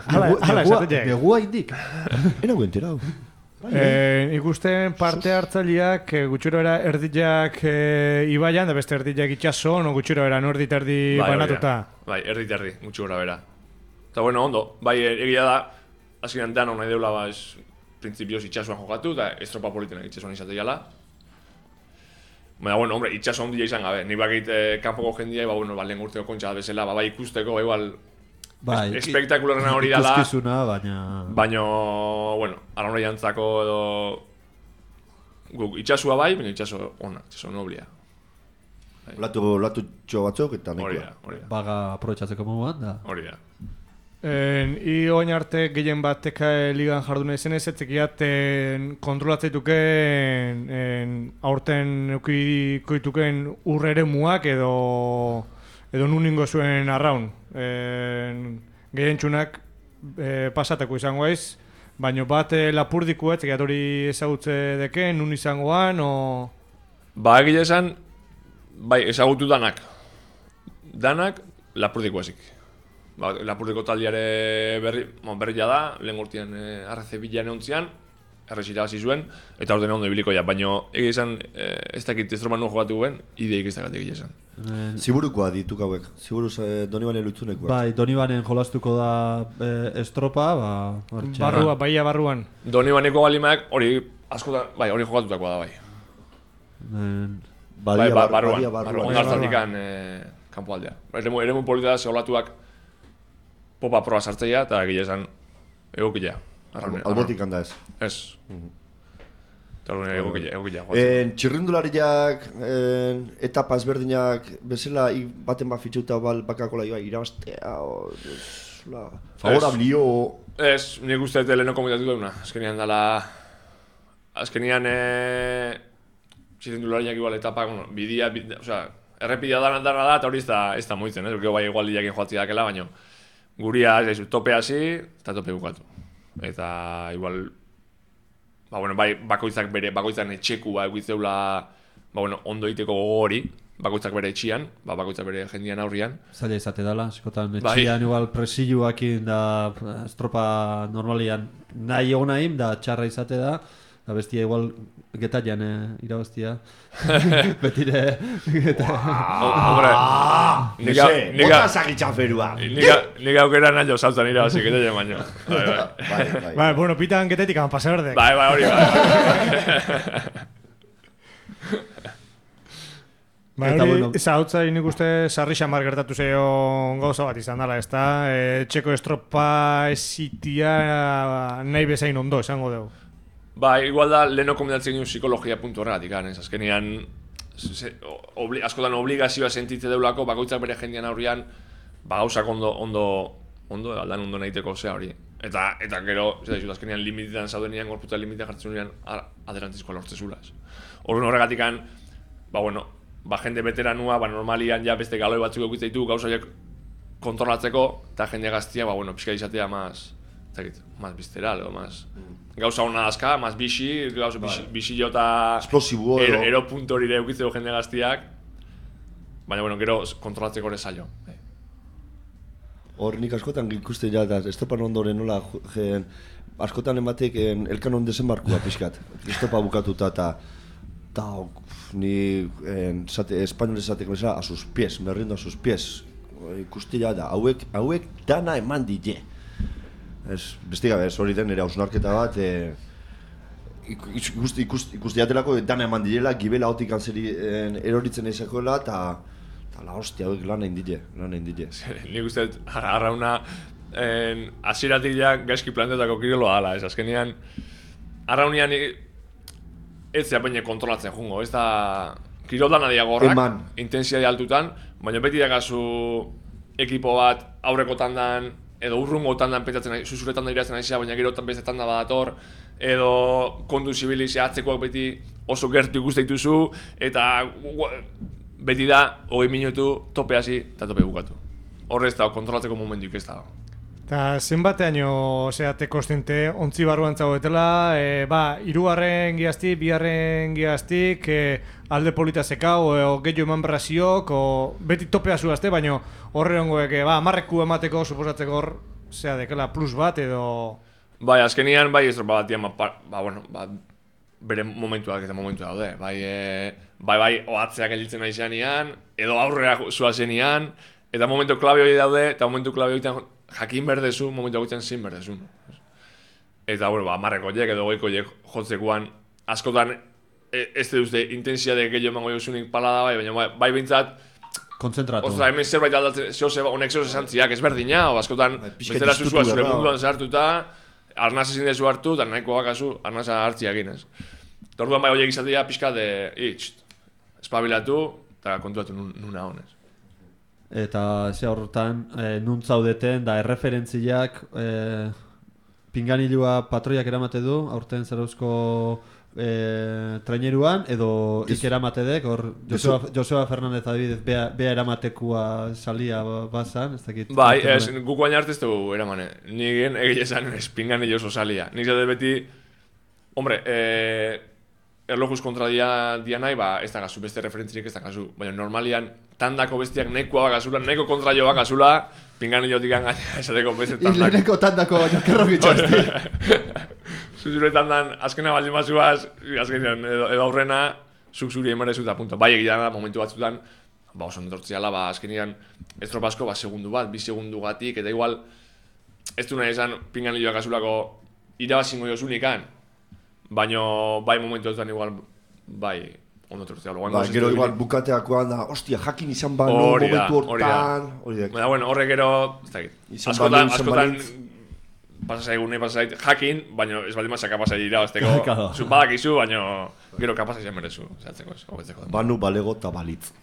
Hala esatetek. Negua indik? Enago enterau. Ikusten parte hartzaileak gutxuro era erdilak ibaian, da beste erdilak itxaso, no gutxuro era no erdit erdi banatuta. Bai, erdit erdi, gutxuro era bera. Eta bueno, ondo, bai egia da, azkenean dano nahi deula, ba, printzipioz itxasuan jokatu, eta estropa politenak itxasuan izateiala. Baina, bueno, hombre, itxaso ondia izan gabe. Ni bakit kanpoko jendia, ba, bueno, lehen urteko kontxa bezala, ba, bai ikusteko, ba, igual, espektakularena hori dala. Ikuskizuna, baina... Baina, bueno, arauna jantzako edo... Guk itxasua bai, baina itxaso ona, itxaso noblia. Latu txo batzuk eta nekoa. Hori da. Baga aprobetxatzeko moduan, da. Hori da. Oin arte gehien batek ligan jardune zen ez, etzekiat kontrolatzeituken aurten eukikoituken urrere muak edo nuningo zuen arraun. Gehien txunak pasatako izango aiz, baina bat lapurdiko etzekiat hori ezagutze deken, nun izangoan, o... Ba, egile esan, bai, ezagutu danak. Danak lapurdiko ezik. Ba, lapurdiko taldiare berria da, lehen urtean RC Bilan egontzian, errezira hasi zuen, eta orden ondo ibiliko ja, baina egia esan, ez dakit estroman nuen jokatu guen, ideik ez dakit egia esan. Ziburukoa dituk hauek, ziburuz Donibanen lutzunekoa. Bai, Donibanen jolastuko da estropa, ba... Barrua, baia barruan. Donibaneko balimak hori askotan, bai, hori jokatutakoa da, bai. Barruan, ondartzatikan kanpo aldea. Eremu polita da, zeolatuak popa proa sartzeia, eta egia esan egokila. Albotik handa ez? Ez. Eta egokila. Txirrindulariak, etapa ezberdinak, bezala baten bat fitxuta bakakola irabaztea, favorablio... Ez, nik uste lehenoko komentatu dauna. Azkenian dala... Azkenian... Txirrindulariak igual etapa, bidia, osea... Errepidea dana da, eta hori ez da moitzen, ez? Porque bai igual diakin joatzi dakela, baina... Guria, tope hasi, eta tope bukatu. Eta, igual... Ba, bueno, bai, bakoitzak etxeku, ba, egitzeula... Ba, bueno, ondo egiteko gogo hori. Bakoitzak bere etxian, ba, bakoitzak bere jendian aurrian. Zaila izate dela, eskotan etxian igual presilluakin da estropa normalian nahi egon nahi, da txarra izate da. Da bestia igual getaian irabaztia. Betire Hombre, bota sagitxaferua. Nik aukera nahi jo saltan irabazik getaian baino. Bai, bueno, pitan getetik han pasa berdek. Bai, hori bai. Ba, hori, zautza nik uste sarri xamar gertatu zeion gauza bat izan dela, ez da? Txeko estropa ezitia nahi bezain ondo, esango dugu. Ba, igual da, leheno komendatzen ginen psikologia puntu horregatik, ez? Azkenean, askotan obligazioa sentitze deulako, bakoitzak bere jendean aurrian, ba, gauzak ondo aldan ondo nahiteko zea hori. Eta gero, azkenean limitetan zaudenean, gorputa limitetan jartzen unean, adelantzizkoa lortzezulaz. Horregatikan, ba, bueno, jende veteranua, normalian ja beste galoi batzuk eukitza gauza horiek kontrolatzeko, eta jende gaztia, pixka izatea más visceral, gauza hona azka, más bixi, bixi jota explosibo, ero punto hori eukitzeko jende gaztiak, baina, gero kontrolatzeko ere zailo. Hor nik askotan ikuste ja, estopan ondoren nola, askotan ematek elkan on desembarkua pixkat, estopa bukatuta eta ni espainol esateko bezala a sus pies, me rindo a sus pies. Ikusti ja da, hauek dana eman dile. Beste gabe, hori den ere hausnarketa bat, ikusti jatelako dana eman dilela, gibela hotik antzeri eroritzen eizakoela, eta la hostia, hauek lan egin dile. Nik uste, arrauna, hasieratik ja gaizki plantetako kiroloa ala, azkenean, arraunian ez zea baina kontrolatzen jungo, ez da kiroldan adia gorrak, intensiade altutan, baina beti dakazu ekipo bat aurreko tandan, edo urrungo tandan pentsatzen nahi, zuzure tandan iratzen nahi zea, baina gero beste tanda badator, edo kontu zibilizia atzekoak beti oso gertu ikuste dituzu, eta beti da 20 minutu tope hasi eta tope bukatu. Horrez da, kontrolatzeko momentuik ez da. Eta zenbateaino zeate kostente ontzi barruan zagoetela, irugarren giaztik, bigarren giaztik, alde polita zekau, gehiago eman braziok, beti topea zuazte, baina horre hongoek, marreku emateko, suposatzeko hor, zea dekela plus bat edo... Bai, azkenian, estropa batian, bere momentuak eta momentu daude, oatzeak gelditzen nahi zenean, edo aurrera zuazenian, eta momentu klabe hori daude, eta momentu klabe hori jakin berdezu, momentu hauetan zin berdezu. Eta, marreko horiek edo goiko horiek jotzekuan, askotan ez duzte intensiade gehiago emango jozunik pala da, baina bai bintzat, kontzentratu. Ostra, hemen zerbait aldatzen, honek zehose zantziak ezberdina, o askotan, bezala zuzua zure munduan zahartuta, arnaz ezin dezu hartu, eta nahiko bakazu, arnaza hartziak inez. Eta orduan bai horiek izatea pixka de, espabilatu, eta kontuatu nuna honez. Eta ze horretan, nun zaudeten, da erreferentziak pinganilua patroiak eramate du, aurten zerauzko traineruan, edo ikeramate hor Joseba Fernandez adibidez, bea eramatekua salia bazan, ez dakit. Bai, guk baina arte ez dugu eramane, nigien egilezan pinganillo oso salia. Nik zade beti, hombre, erlojuz kontra dia nahi, ez da gazu, beste referentzirik ez da gazu, baina normalian tandako bestiak nahikoa bakazula, nahiko kontra jo bakazula, pinganillotik gaina esateko beste tandako. Ileneko tandako jokerro gitxasti. Zuzure tandan, azkena baldin batzuaz, azkenean edo aurrena, zuk zuri emarezu eta punto. Bai egitea da, momentu batzutan, oso netortziala, azkenean estropasko, segundu bat, 2 segundu gatik, eta igual, ez du nahi esan pinganilloak azulako irabazingo jozunikan, baina bai momentu batzutan igual, bai, ondo tortziala. Gero igual bukateakoan da, ostia, jakin izan bano momentu hortan. Baina, bueno, horre gero, ez dakit, askotan, pasasaigun nahi pasasait jakin, baina ez baldin mazaka pasai irabazteko. Zun badakizu, baina gero kapasa izan merezu. Banu balego eta balitz.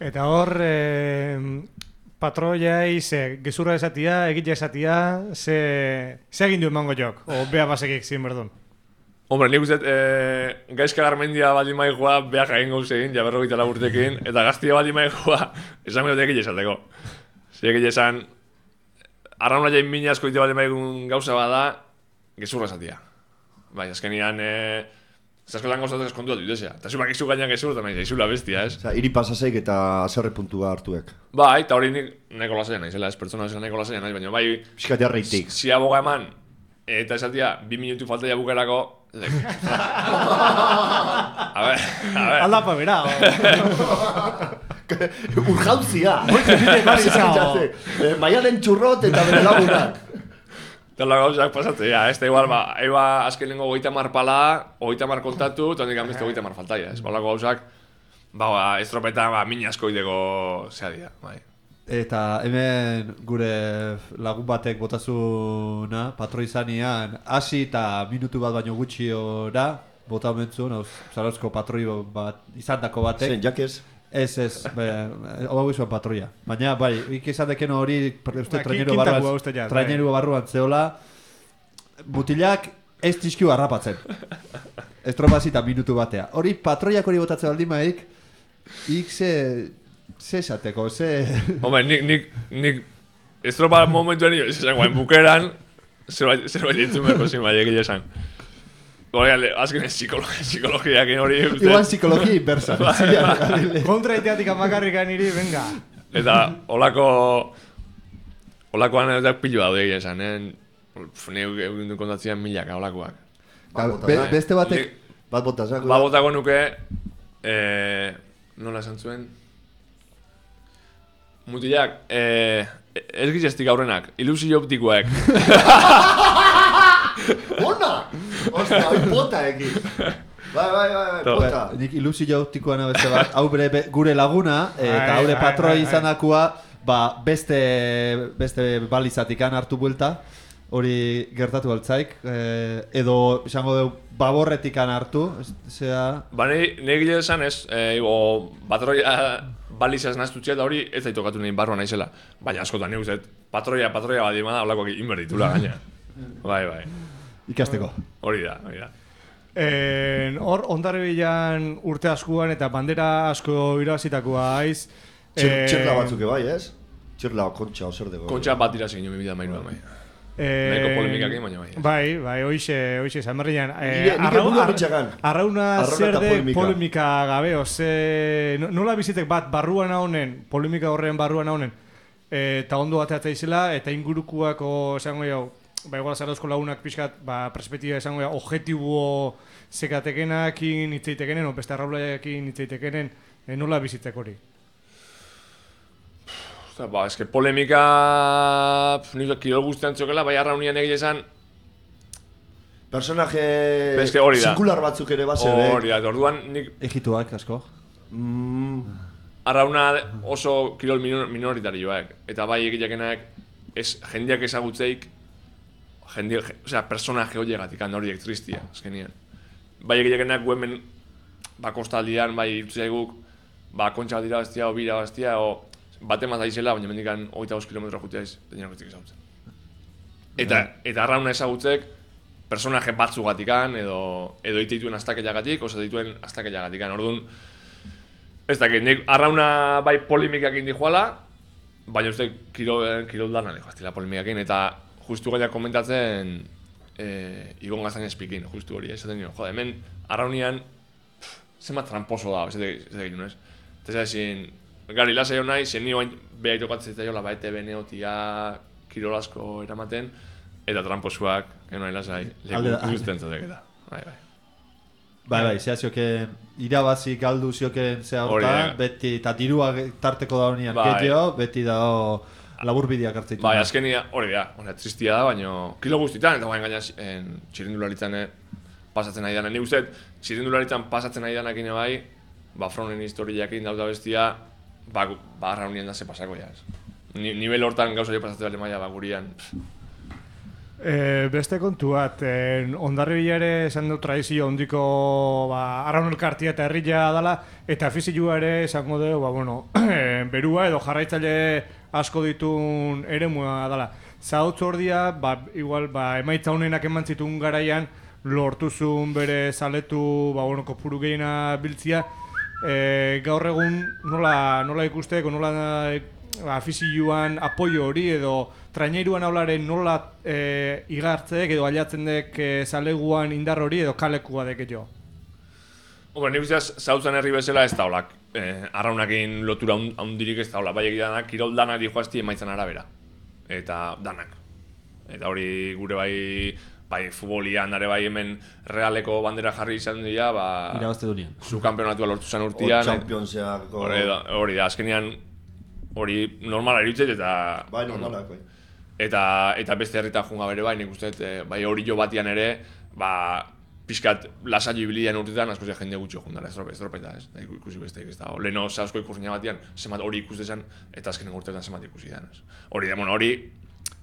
Eta hor, patroiai, gezurra esatia, egitza esatia, ze egin du emango jok? O bea basekik zin berdun? Hombre, nik uste, gaizka garmendia baldin maikoa, beha jain gauz egin, ja 44 urtekin, eta gaztia baldin maikoa, esan dut egitza esateko. Egitza esan, arrauna jain mina asko ite baldin maigun gauza bada, gezurra esatia. Bai, azkenian, zaskotan gauzatzen eskontu dut dutesea. Eta zumak izu gainan gezurra, eta nahi zaizula bestia, ez? Iri pasaseik eta azerre puntua hartuek. Bai, eta hori nik nahiko lasaia nahi, zela, ez pertsona zela nahiko lasaia nahi, baina bai... Piskatea reitik. Si aboga eman, eta esatia, 2 minutu falta ja bukerako... A ver... Aldapa bera, urjauzia! Maialen txurrot eta bere lagunak. Eta la gauzak pasatzea, ez da igual, eba azken lengo 30 pala, 30 kontatu, eta nik amezte 30 faltaia, ez balako gauzak estropetan min asko ideko zea dira, bai. Eta hemen gure lagun batek botazuna, patroi zanean, hasi eta minutu bat baino gutxiora, bota omentzun, Zarauzko patroi bat izandako batek. Zen, jakez? Ez, hau izan patroia. Baina, bai, izan deken hori, uste traineru barruan zeola, mutilak ez tizkiu harrapatzen. Estropazita minutu batea. Hori patroiak hori botatzen baldin maik, ze esateko, ze... Hombre, nik estropa momentuan nio, esan guain bukeran, zerbait ditzen berko zin bai egile esan. Hori, azken psikologiak hori... Igual psikologia inversa. Kontra iteatik amakarrikan iri, venga. Eta olakoan edo pilu daude egile esan, Neu egin kontatzean milaka olakoak. Beste batek... Bat botazak. Bat botako nuke... Nola esan zuen? Mutilak, ez gizestik aurrenak, ilusio optikoak. Bona! Ostia, hoi bota eki. Bai, bota. Nik ilusio optikoan beste bat, hau gure laguna, eta haure patroi izanakua, beste balizatikan hartu buelta, hori gertatu altzaik, edo izango dugu baborretikan hartu, zera... Ba, nire esan ez, patroia balizaz naztutxea da hori ez daitokatu nahi barroa naizela. Baina askotan nire uzet, patroia badima da, holakoak inberditula gaina. Bai. Ikasteko. Hori da. Hor, Hondarribian urte askuan eta bandera asko irabazitakoa aiz. Txirla batzuke bai, ez? Txirla kontxa, ozer dego. Kontxa bat dira zein jo, 2008 bai. Nahiko polemikak egin, baina bai. Bai, hoxe, Zamarrian. Arrauna zer de polemika gabe, nola bizitek bat barruan honen, polemika horren barruan honen, eta ondo bateatza izela, eta ingurukuako, esango jau, igual Zarauzko lagunak pixkat, perspektiba esango jau, objetibo zekatekenakin hitzeitekenen, o beste arraulaekin hitzeitekenen, nola bizitek hori? Eske polemika... Nire kirol guztian txokela, bai arraunian egile esan... Personaje... Singular batzuk ere base hori da, orduan nik... Egituak, asko. Arrauna oso kirol minoritarioak. Eta bai egileakenak jendeak ezagutzeik... personaje horiegatik, horiek tristia, azkenian. Bai egileakenak guemen... kostaldian, bai irtzeaguk... kontxa bat irabaztia, o bira bastia, o... Bate mazda izela, baina mendikan 25 kilometro juteaiz, denean guztik ezagutzen. Eta arrauna ezagutzek, personaje batzugatikan, edo iteituen astakellagatik, oso dituen astakellagatikan. Orduan, ez dakit, nik arrauna bai polemikak indi joala, baina uste kirol dana dijo, estila polemikak eta justu gaina komentatzen Igon Gaztaina espikin, justu hori, esaten nio, jode, hemen arraunian zenbat tramposo da, ez dakit nuen ez. Eta ezin, gari lasai hon nahi, zen nio behar tokatzen zitzaiola, baete beneotia, kirol asko eramaten, eta tramposuak, nahi lasai, leku guztien zatek eta. Bai, zehazioken irabazi galdu zioken zea horta, beti, eta dirua tarteko da honian getio, beti da laburbideak hartzeitu. Bai, azkenia hori da, tristia da, baina kilo guztietan, eta baina gaina txirindularitzan pasatzen nahi danak. Nik uste, txirindularitzan pasatzen nahi danak bai, Fronen historiakin dauda bestia, arraunien da ze pasako ja. Nivel hortan gauza jo pasatzen bale maia gurian. Beste kontu bat, Hondarribia ere esan du tradizio ondiko arraun elkartia eta herria dela, eta afizioa ere esango dugu, berua edo jarraitzaile asko ditun eremua dela. Zautzu ordia, igual, emaitza honenak eman zituen garaian, lortuzun bere zaletu, kopuru gehiena biltzia, gaur egun nola ikusteko, nola afizioan apoio hori edo traineiruan aularen nola igartzek edo aliatzen dek zaleguan indar hori edo kalekua dek jo? Nik usteaz, zautzen herri bezala ez daulak. Arraunakin lotura handirik ez daulak. Bai egidanak, kirol danak dihoazti emaitzan arabera. Eta danak. Eta hori gure bai futbolian, dare bai hemen realeko bandera jarri izan dira, irabazte dunean. Zu kampeonatua lortu zen urtean. Championseako... Hori da, azkenean hori normala eritzet eta... Bai, normalak, bai. Eta beste herritan junga bere bai, nik uste, bai hori jo batian ere, pixkat lasaio ibilian urtetan, asko jende gutxi jundara, estropeta, ez? Da, ikusi besteik, ez da. Leheno zausko ikusina batean, zemat hori ikustezan, eta azkenen urtetan zemat ikusi dan, ez? Hori, hori,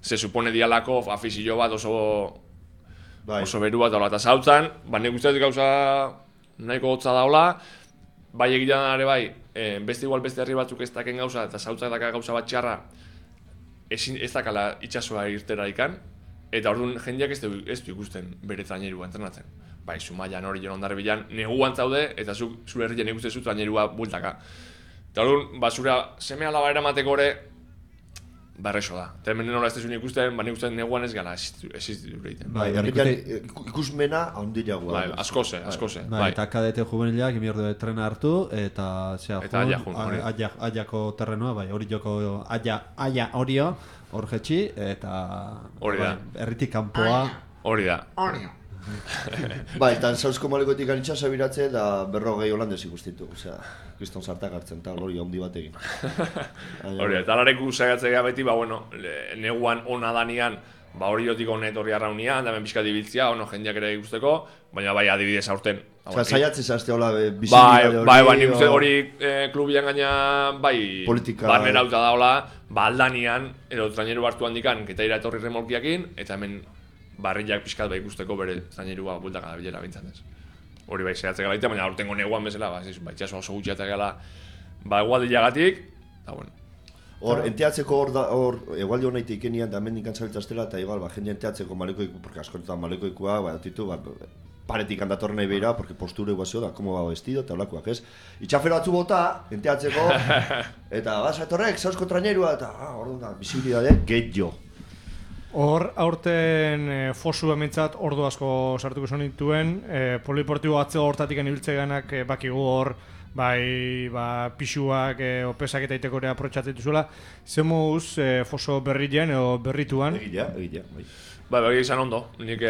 se supone dialako afizio bat oso beru bat daula, eta zautzan, nik uste dut gauza nahiko hotza daula, bai egitan ere bai, beste herri batzuk ez daken gauza, eta zautzak daka gauza bat txarra, ez dakala itxasoa irtera ikan, eta orduan jendeak ez du ikusten bere trainerua entrenatzen. Bai, Zumaian hori jon ondarribian neguan zaude, eta zure herrian ikustezu trainerua bultaka. Eta orduan, zure seme alaba eramateko ere, errexo da. Eta hemen nola ez dezun ikusten, nik uste neguan ez gala existitu egiten. Bai, ikusmena handiagoa. Bai, askoze. Eta kadete juvenilak emiordo trena hartu, eta aiako terrenoa, bai, hori joko aia horio, hor jetxi, eta herritik kanpoa. Hori da. Bai, eta Sausko Malekoetik anitxasa biratze da 40 holandez ikustitu, osea, kriston sartak hartzen, eta hori handi batekin. Hori, eta alareku saiatzea beti, neguan ona danean, hori jotik honet horri arraunian, da ben pixka dibiltzia, jendeak ere ikusteko, baina bai adibidez aurten. Osea, saiatzez azte hola bizibilidade hori. Bai, nik uste hori klubian gaina, bai, barnera hauta da hola, aldanean, edo traineru hartu handikan, ketaira etorri remolkiakin, eta hemen barriak pixkat bai ikusteko bere zainerua bultaka da bilera bintzat ez. Hori bai zehatzek gala baina aurtengo neguan bezala, itxaso oso gutxiatek gala, egualdilagatik, eta bueno. Hor, enteatzeko hor, egualdi honeite ikenian, da hemen dinkan zabiltzaztela, eta igual, jende enteatzeko malekoiku, porque askonetan malekoikua, ditu, paretik handatorren nahi behira, porque postura eguazio da, como va vestido, eta holakoak, ez? Itxafero batzu bota, enteatzeko, eta etorrek, Sausko trainerua, eta, orduan da, bizibilidade, gehiago. Hor, aurten fosu ementzat ordu asko sartuko zonituen, poliportibo atzeo hortatik anibiltze ganak bakigu hor, bai, pixuak, opesak eta iteko ere aprotxatzen duzuela. Zer moduz foso berrilean edo berrituan? Egia, bai. Bai, izan ondo. Nik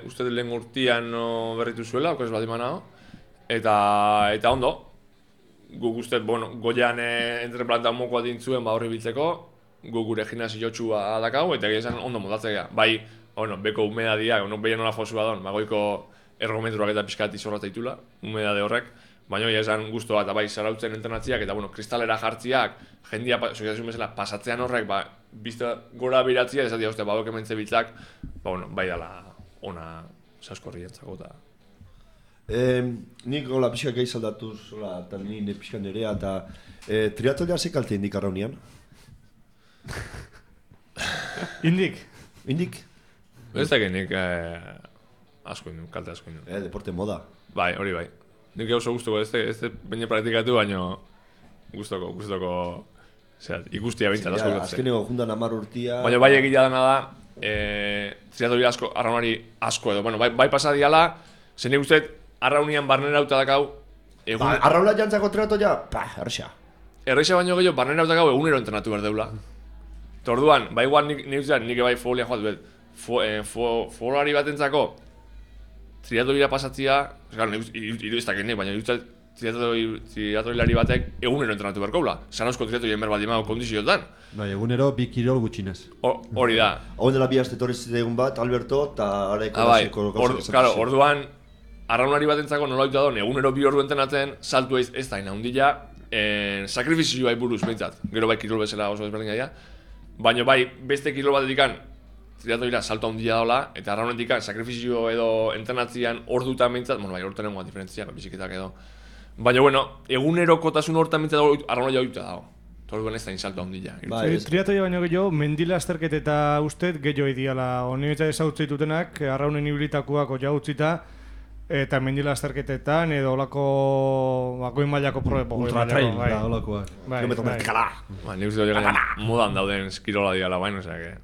uste lehen urtian berritu zuela, okaz bat imanao, eta ondo. Guk uste, goian entreplantan mokoa dintzuen horri biltzeko, gure gimnasio txua dakau, eta esan ondo modatzea. Bai, beko humedadia, behien nola fosua don, goiko ergometruak eta pixkat izorrat eitula, humedade horrek, baina esan guztua, eta bai, zarautzen entrenatziak, eta kristalera jartziak, jendia, soziazioen bezala, pasatzean horrek, bizta gora biratzia, esatia uste, badok ementze biltzak, bai dala ona Sausko entzako eta... Nik gola pixka gehi saldatuz, eta nire pixka nerea, eta triatolia ze kalte indik arraunian? Indik? Ez da genik kalte asko indun. Deporte moda. Bai, hori bai. Nik oso guztoko, ez baina praktikatu, baina guztoko, ikustia bintzat asko gutze. Azkeneko jundan 10 urtia... Baina bai egitea dena da, triatoli asko, arraunari asko edo. Bai pasadiala, zen nik uste arraunian barnera hauta dakau... Arrauna jantzako triatolia, erresa. Erresa baino gehiago, barnera hauta dakau egunero entrenatu behar deula. Orduan, igual nik bai folia joat bet, folari bat entzako, triatolira pasatzia, ez dakit nik, baina triatolilari batek egunero entrenatu beharko, Zarauzko triatolien behar bat imago kondizioetan. Bai, egunero 2 kirol gutxinez. Hori da. Hau dela bi aste torriz egun bat, Alberto, eta araiko gasiko. Orduan, arraunari bat entzako nola duta don, egunero 2 ordu entrenatzen, saltu ez da inaundila, sakrifizioa buruz behintzat, gero bai kirol bezala oso desberdin gaia. Baina bai, beste kirol bat edikan, triatoira salto handia daola, eta arraunetik sakrifizio edo entrenatzean ordutan behintzat, bai, ordutan egon diferentziak, biziketak edo. Baina, egunero kotasun ordutan behintzat arraunea jaudita dago. Orduan ez da insalto handia. Triatoia baino gehiago, mendila azterket eta ustet gehiago ideala. Honi eta ezautzei dutenak, arraunen ibilitakoak oia utzita, eta mendila azterketetan edo olako goi mailako proepo. Ultratrail da olakoak. Kilometro vertikala. Nik uste dut gaina modan dauden eskirola diala baina, osea que...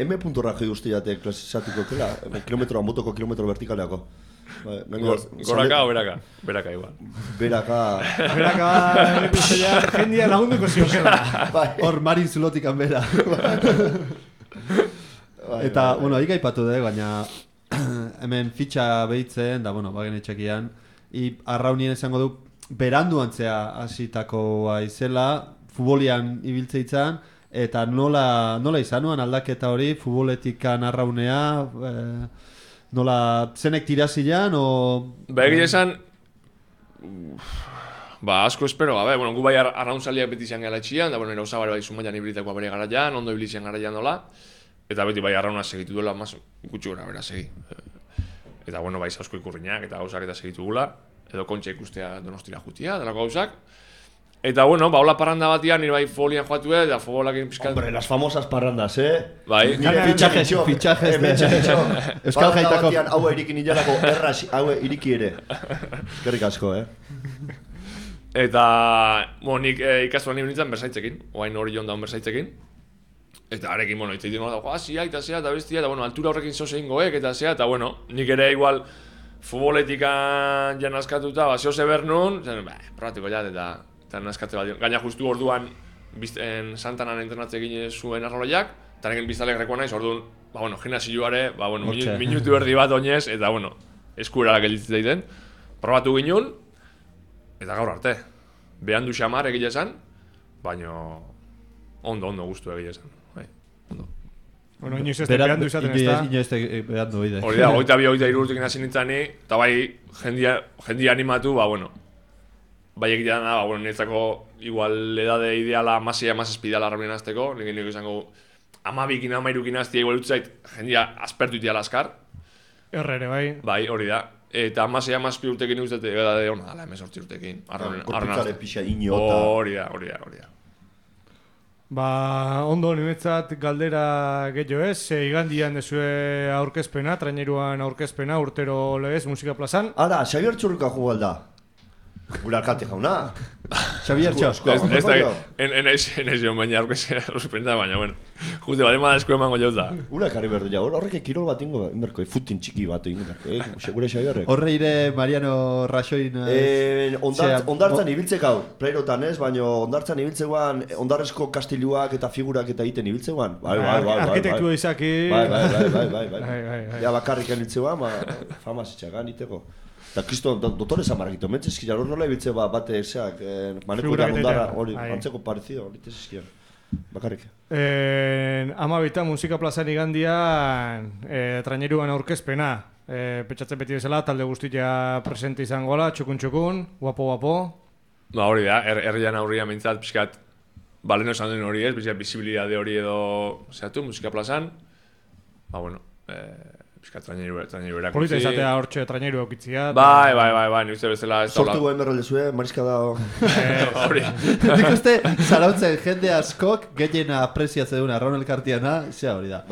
M.ra joi guztiate klasizatiko kela, kilometroa motoko kilometro vertikaleako. Goraka o beraka? Beraka igual. Beraka, jendia lagunduko ziokela. Hor Marin Zulotik anbera. Eta, hik aipatu dut, baina hemen fitxa behitzen, da, bagen etxekian, arraunien esango du, beranduan zea hasitakoa izela, futbolian ibiltzeitzan, eta nola izanuan aldaketa hori, futboletikan arraunea, Nola, zenek tirazilean, o... Ba, egia esan, asko espero gabe, bueno, gu bai arrauntzaliak beti izan gara etxian, da, bueno, nire osabare bai zumaian ibritako bere garaian, ondo ibilizian garaian dola, eta beti bai arrauna segitu duela, mas gutxi gora bera segi. Eta, bueno, bai asko ikurriñak eta gauzak eta segitu gula, edo kontxa ikustea Donostira jutia, delako gauzak. Eta, bueno, hola parranda batian, nire bai folian joatu eta futbolak pizkat... Hombre, las famosas parrandas, Bai. Fichajes Euskal Parranda Jaitako. batian haue iriki nilalako erraz, haue iriki ere. Eskerrik asko, Eta, bueno, nik ikastuan nire nintzen bersaitzekin, oain hori joan daun bersaitzekin. Eta harekin, bueno, itzaiten nola da, zia, eta zea, eta bestia, eta, bueno, altura horrekin zoze ingoek, eta zea, eta, bueno, nik ere igual futboletikan jan askatuta, zoze bernun, probatiko jat, eta naskatze bat, gaina justu orduan Santanan entrenatze egin zuen arroloiak, eta neken biztalek rekoa naiz, orduan, bueno, gimnasioare, bueno, minutu erdi bat oinez, eta, bueno, eskuerarak gelditzen daiten, probatu ginen, eta gaur arte. Behan du xamar egile esan, baina ondo guztu egile esan. Bueno, inoiz ez behan du izaten ez da. Inoiz ez behan du, oide. Hori da, 22-23 urtekin hasi nintzani, eta bai jendia animatu, bueno, bai egitea da, bueno, niretzako igual edade ideala amasia espidala arrabien azteko, nik izango 12-ekin 13-ekin aztia igual utzait jendia aspertu itiala askar. Errere, bai. Bai, hori da. Eta amasei urtekin uste edade hona dala, 18 urtekin. Korpitzare pixa inota. Hori da. Ba, ondo nimetzat galdera gehiago ez, igandian dezue aurkezpena, traineruan aurkezpena, urtero legez, musika plazan. Ara, Xabier Txurruka jugu alda. Gure alkate jauna. Xabier Txurruka. Ez da, enaiz joan baina aurkezpena ruspenta, baina, bueno, juste, bale ma esko emango jauz da. Ura ekarri berdu ja, horrek kirol bat ingo, inberko, futin txiki bat ingo, segure Xabierrek. Horre ire Mariano Raxoin... Ondartzan ibiltzek hau, preirotan ez, baina ondartzan ibiltzeguan, ondarrezko kastiluak eta figurak eta iten ibiltzeguan. Bai. Arkitektua izaki... Bai. Ja, bakarrik eniltzeguan, famaz itxagan iteko. Eta kristo, dotore zamarrakito, mentzizki jarro nola ibiltze bate ezeak, maneko ondarra, hori, antzeko parezido, hori tezizkian. Bakarrik. Amabita musika plazan igandian traineruan aurkezpena. Petxatzen beti bezala, talde guztia presente izangola, txukun, guapo. Ba hori da, herrian aurrian mintzat, pixkat, baleno esan duen hori ez, pixkat bizibilidade hori edo zehatu musika plazan. Ba bueno, pixkat traineru erakutzi. Polita izatea hortxe traineru aukitzia. Bai, ni uste bezala ez da... Sortu guen berrolde zuen, mariska da... Hori. Nik uste, zarautzen jende askok gehiena apreziatze duna Arraun Elkartiana, zea hori da.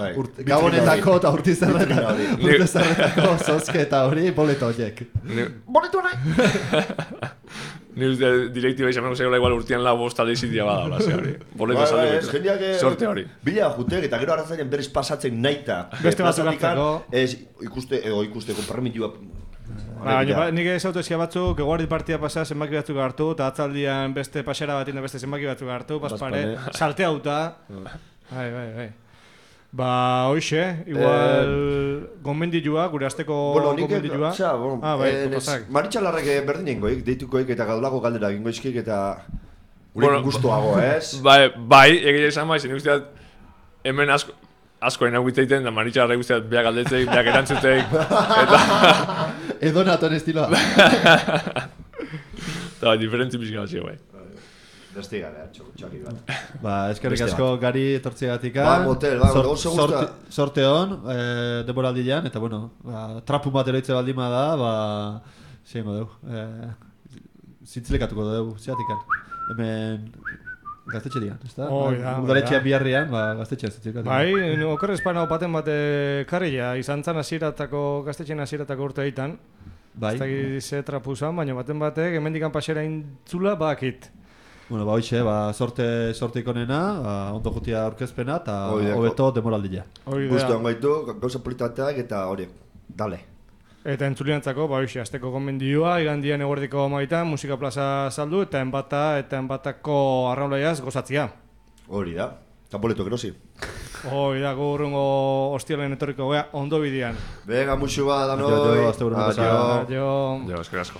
Gabonetako eta urtizarretako zozke eta hori boleto horiek. Boletu nahi! Ni uste direktiba izan nago zegoela igual urtean lau bosta deizitia bada, ze hori. Boleto salde betu. Sorte hori. Bila jutek eta gero arrazainen berriz pasatzen naita. Beste batzuk hartzeko. Ez ikusteko permitua... Nik ez autoezia batzuk, eguardi partia pasa zenbaki batzuk hartu, eta atzaldian beste pasera bat beste zenbaki batzuk hartu, paspare, salte hauta. Bai. Ba, hoxe, igual gomendilua, gure azteko gomendilua. Maritxalarrek berdin ingoik, deitukoik eta gaudolako galdera ingoizkik eta gurekin guztuago, ez? Bai, egia izan bai, zen usteat hemen asko enaguiteiten, da Maritxalarrek usteat beak aldetzeik, beak erantzuteik, eta... Edo naton estiloa. Eta diferentzi pixka batxio, bai. Beste gara, txaki bat. Ba, eskerrik asko gari etortzegatik. Ba, motel, gauza guzta. Sorte hon, demoraldian, eta bueno, trapun bat eroitze baldima da, ba, zeingo dugu. Zintzilekatuko dugu, zeatikan. Hemen gaztetxe dian, ez da? Udaletxean biharrian, ba, gaztetxean zintzilekatuko. Bai, oker espana opaten bat karrila, izan zan gaztetxean hasieratako urte egiten. Bai. Ez da ze trapu zan, baina baten batek, hemendikan pasera intzula bakit. Bueno, ba, hoxe, sorte ikonena, ondo jutia aurkezpena, eta hobeto demoraldia. Gustuan gaitu, gauza politateak eta hori, dale. Eta entzuliantzako, ba, hoxe, azteko gomendioa, igandian eguerdiko amaitan, musika plaza saldu, eta enbatako arraunlaiaz gozatzia. Hori da, eta boleto gerosi. Hori da, gurrungo hostialen etorriko gea, ondo bidean. Venga, musu bat, danoi. Adio. Jo, eskerrik asko.